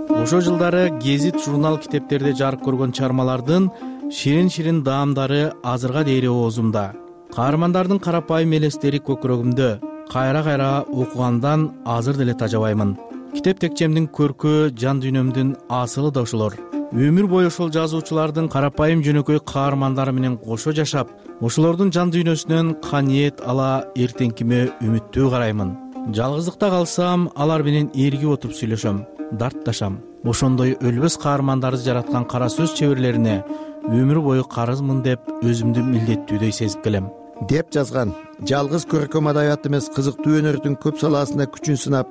Speaker 22: Ошол жылдары гезит, журнал, китептерде жарык көргөн чыгармалардын ширин даамдары азырга дейри оозумда. Каармандардын карапайым элестери көкүрөгүмдө. Кайра окугандан азыр деле тажабаймын. китеп текчемдин көркү, жан дүйнөмдүн асылы да ошолор. Өмүр бою ошол жазуучулардын карапайым жөнөкөй каармандары менен кошо жашап, ошолордун жан дүйнөсүнөн каниет ала эртеңкиме үмүттүү караймын. Жалгыздыкта калсам, алар менен ээргип отуруп сүйлөшөм, дартташам. Ошондой өлбөс каармандарды жараткан кара сөз чеберлерине өмүр бою карызмын деп өзүмдү милдеттүүдөй сезип келем,
Speaker 1: деп жазган. Жалгыз көркөм адабият эмес, кызыктуу өнөрдүн көп саласында күчүн сынап,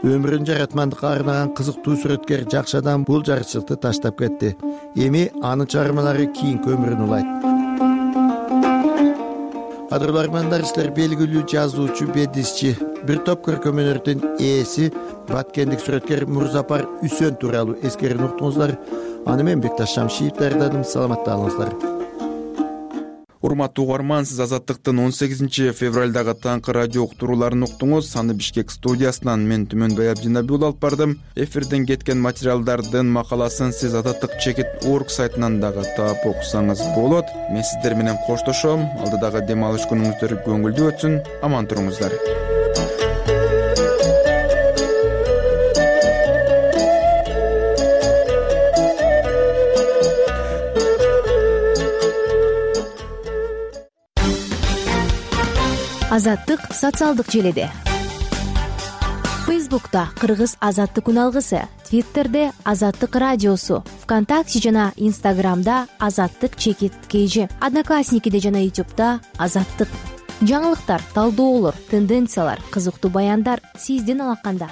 Speaker 1: өмүрүн жаратмандыкка арнаган кызыктуу сүрөткер жакшадан бул жарчылыкты таштап кетти. Эми анын чыгармалары кийинки өмүрүн улайт. Кадырлуу армандар, силер белгилүү жазуучу, бедисчи, бир топ көркөм өнөрдүн ээси баткендик сүрөткер Мурзапар Үсөн тууралуу эскерин уктуңуздар. Аны мен Бекташ Шамшиев даярдадым. Саламатта калыңыздар.
Speaker 2: Урматтуу угарман, сиз Азаттыктын 18 февралдагы таңкы радио уктурууларын уктуңуз. Саны Бишкек студиясынан мен Түмөнбай Абдинабиул алып бардым. Эфирден кеткен материалдардын макаласын сиз azattik.org сайтынан дагы таап окусаңыз болот. Мен сиздер менен коштошом. Алдыдагы дем алыш күнүңүздөр көңүлдүү өтсүн. Аман туруңуздар.
Speaker 8: Азаттык социалдык желиде. Фейсбукта Кыргыз Азаттык үналгысы, Твиттерде Азаттык радиосу, ВКонтакте жана Инстаграмда Азаттык_KG, Одноклассникиде жана Ютубта Азаттык. Жаңылыктар, талдоолор, тенденциялар, кызыктуу баяндар сиздин алаканда.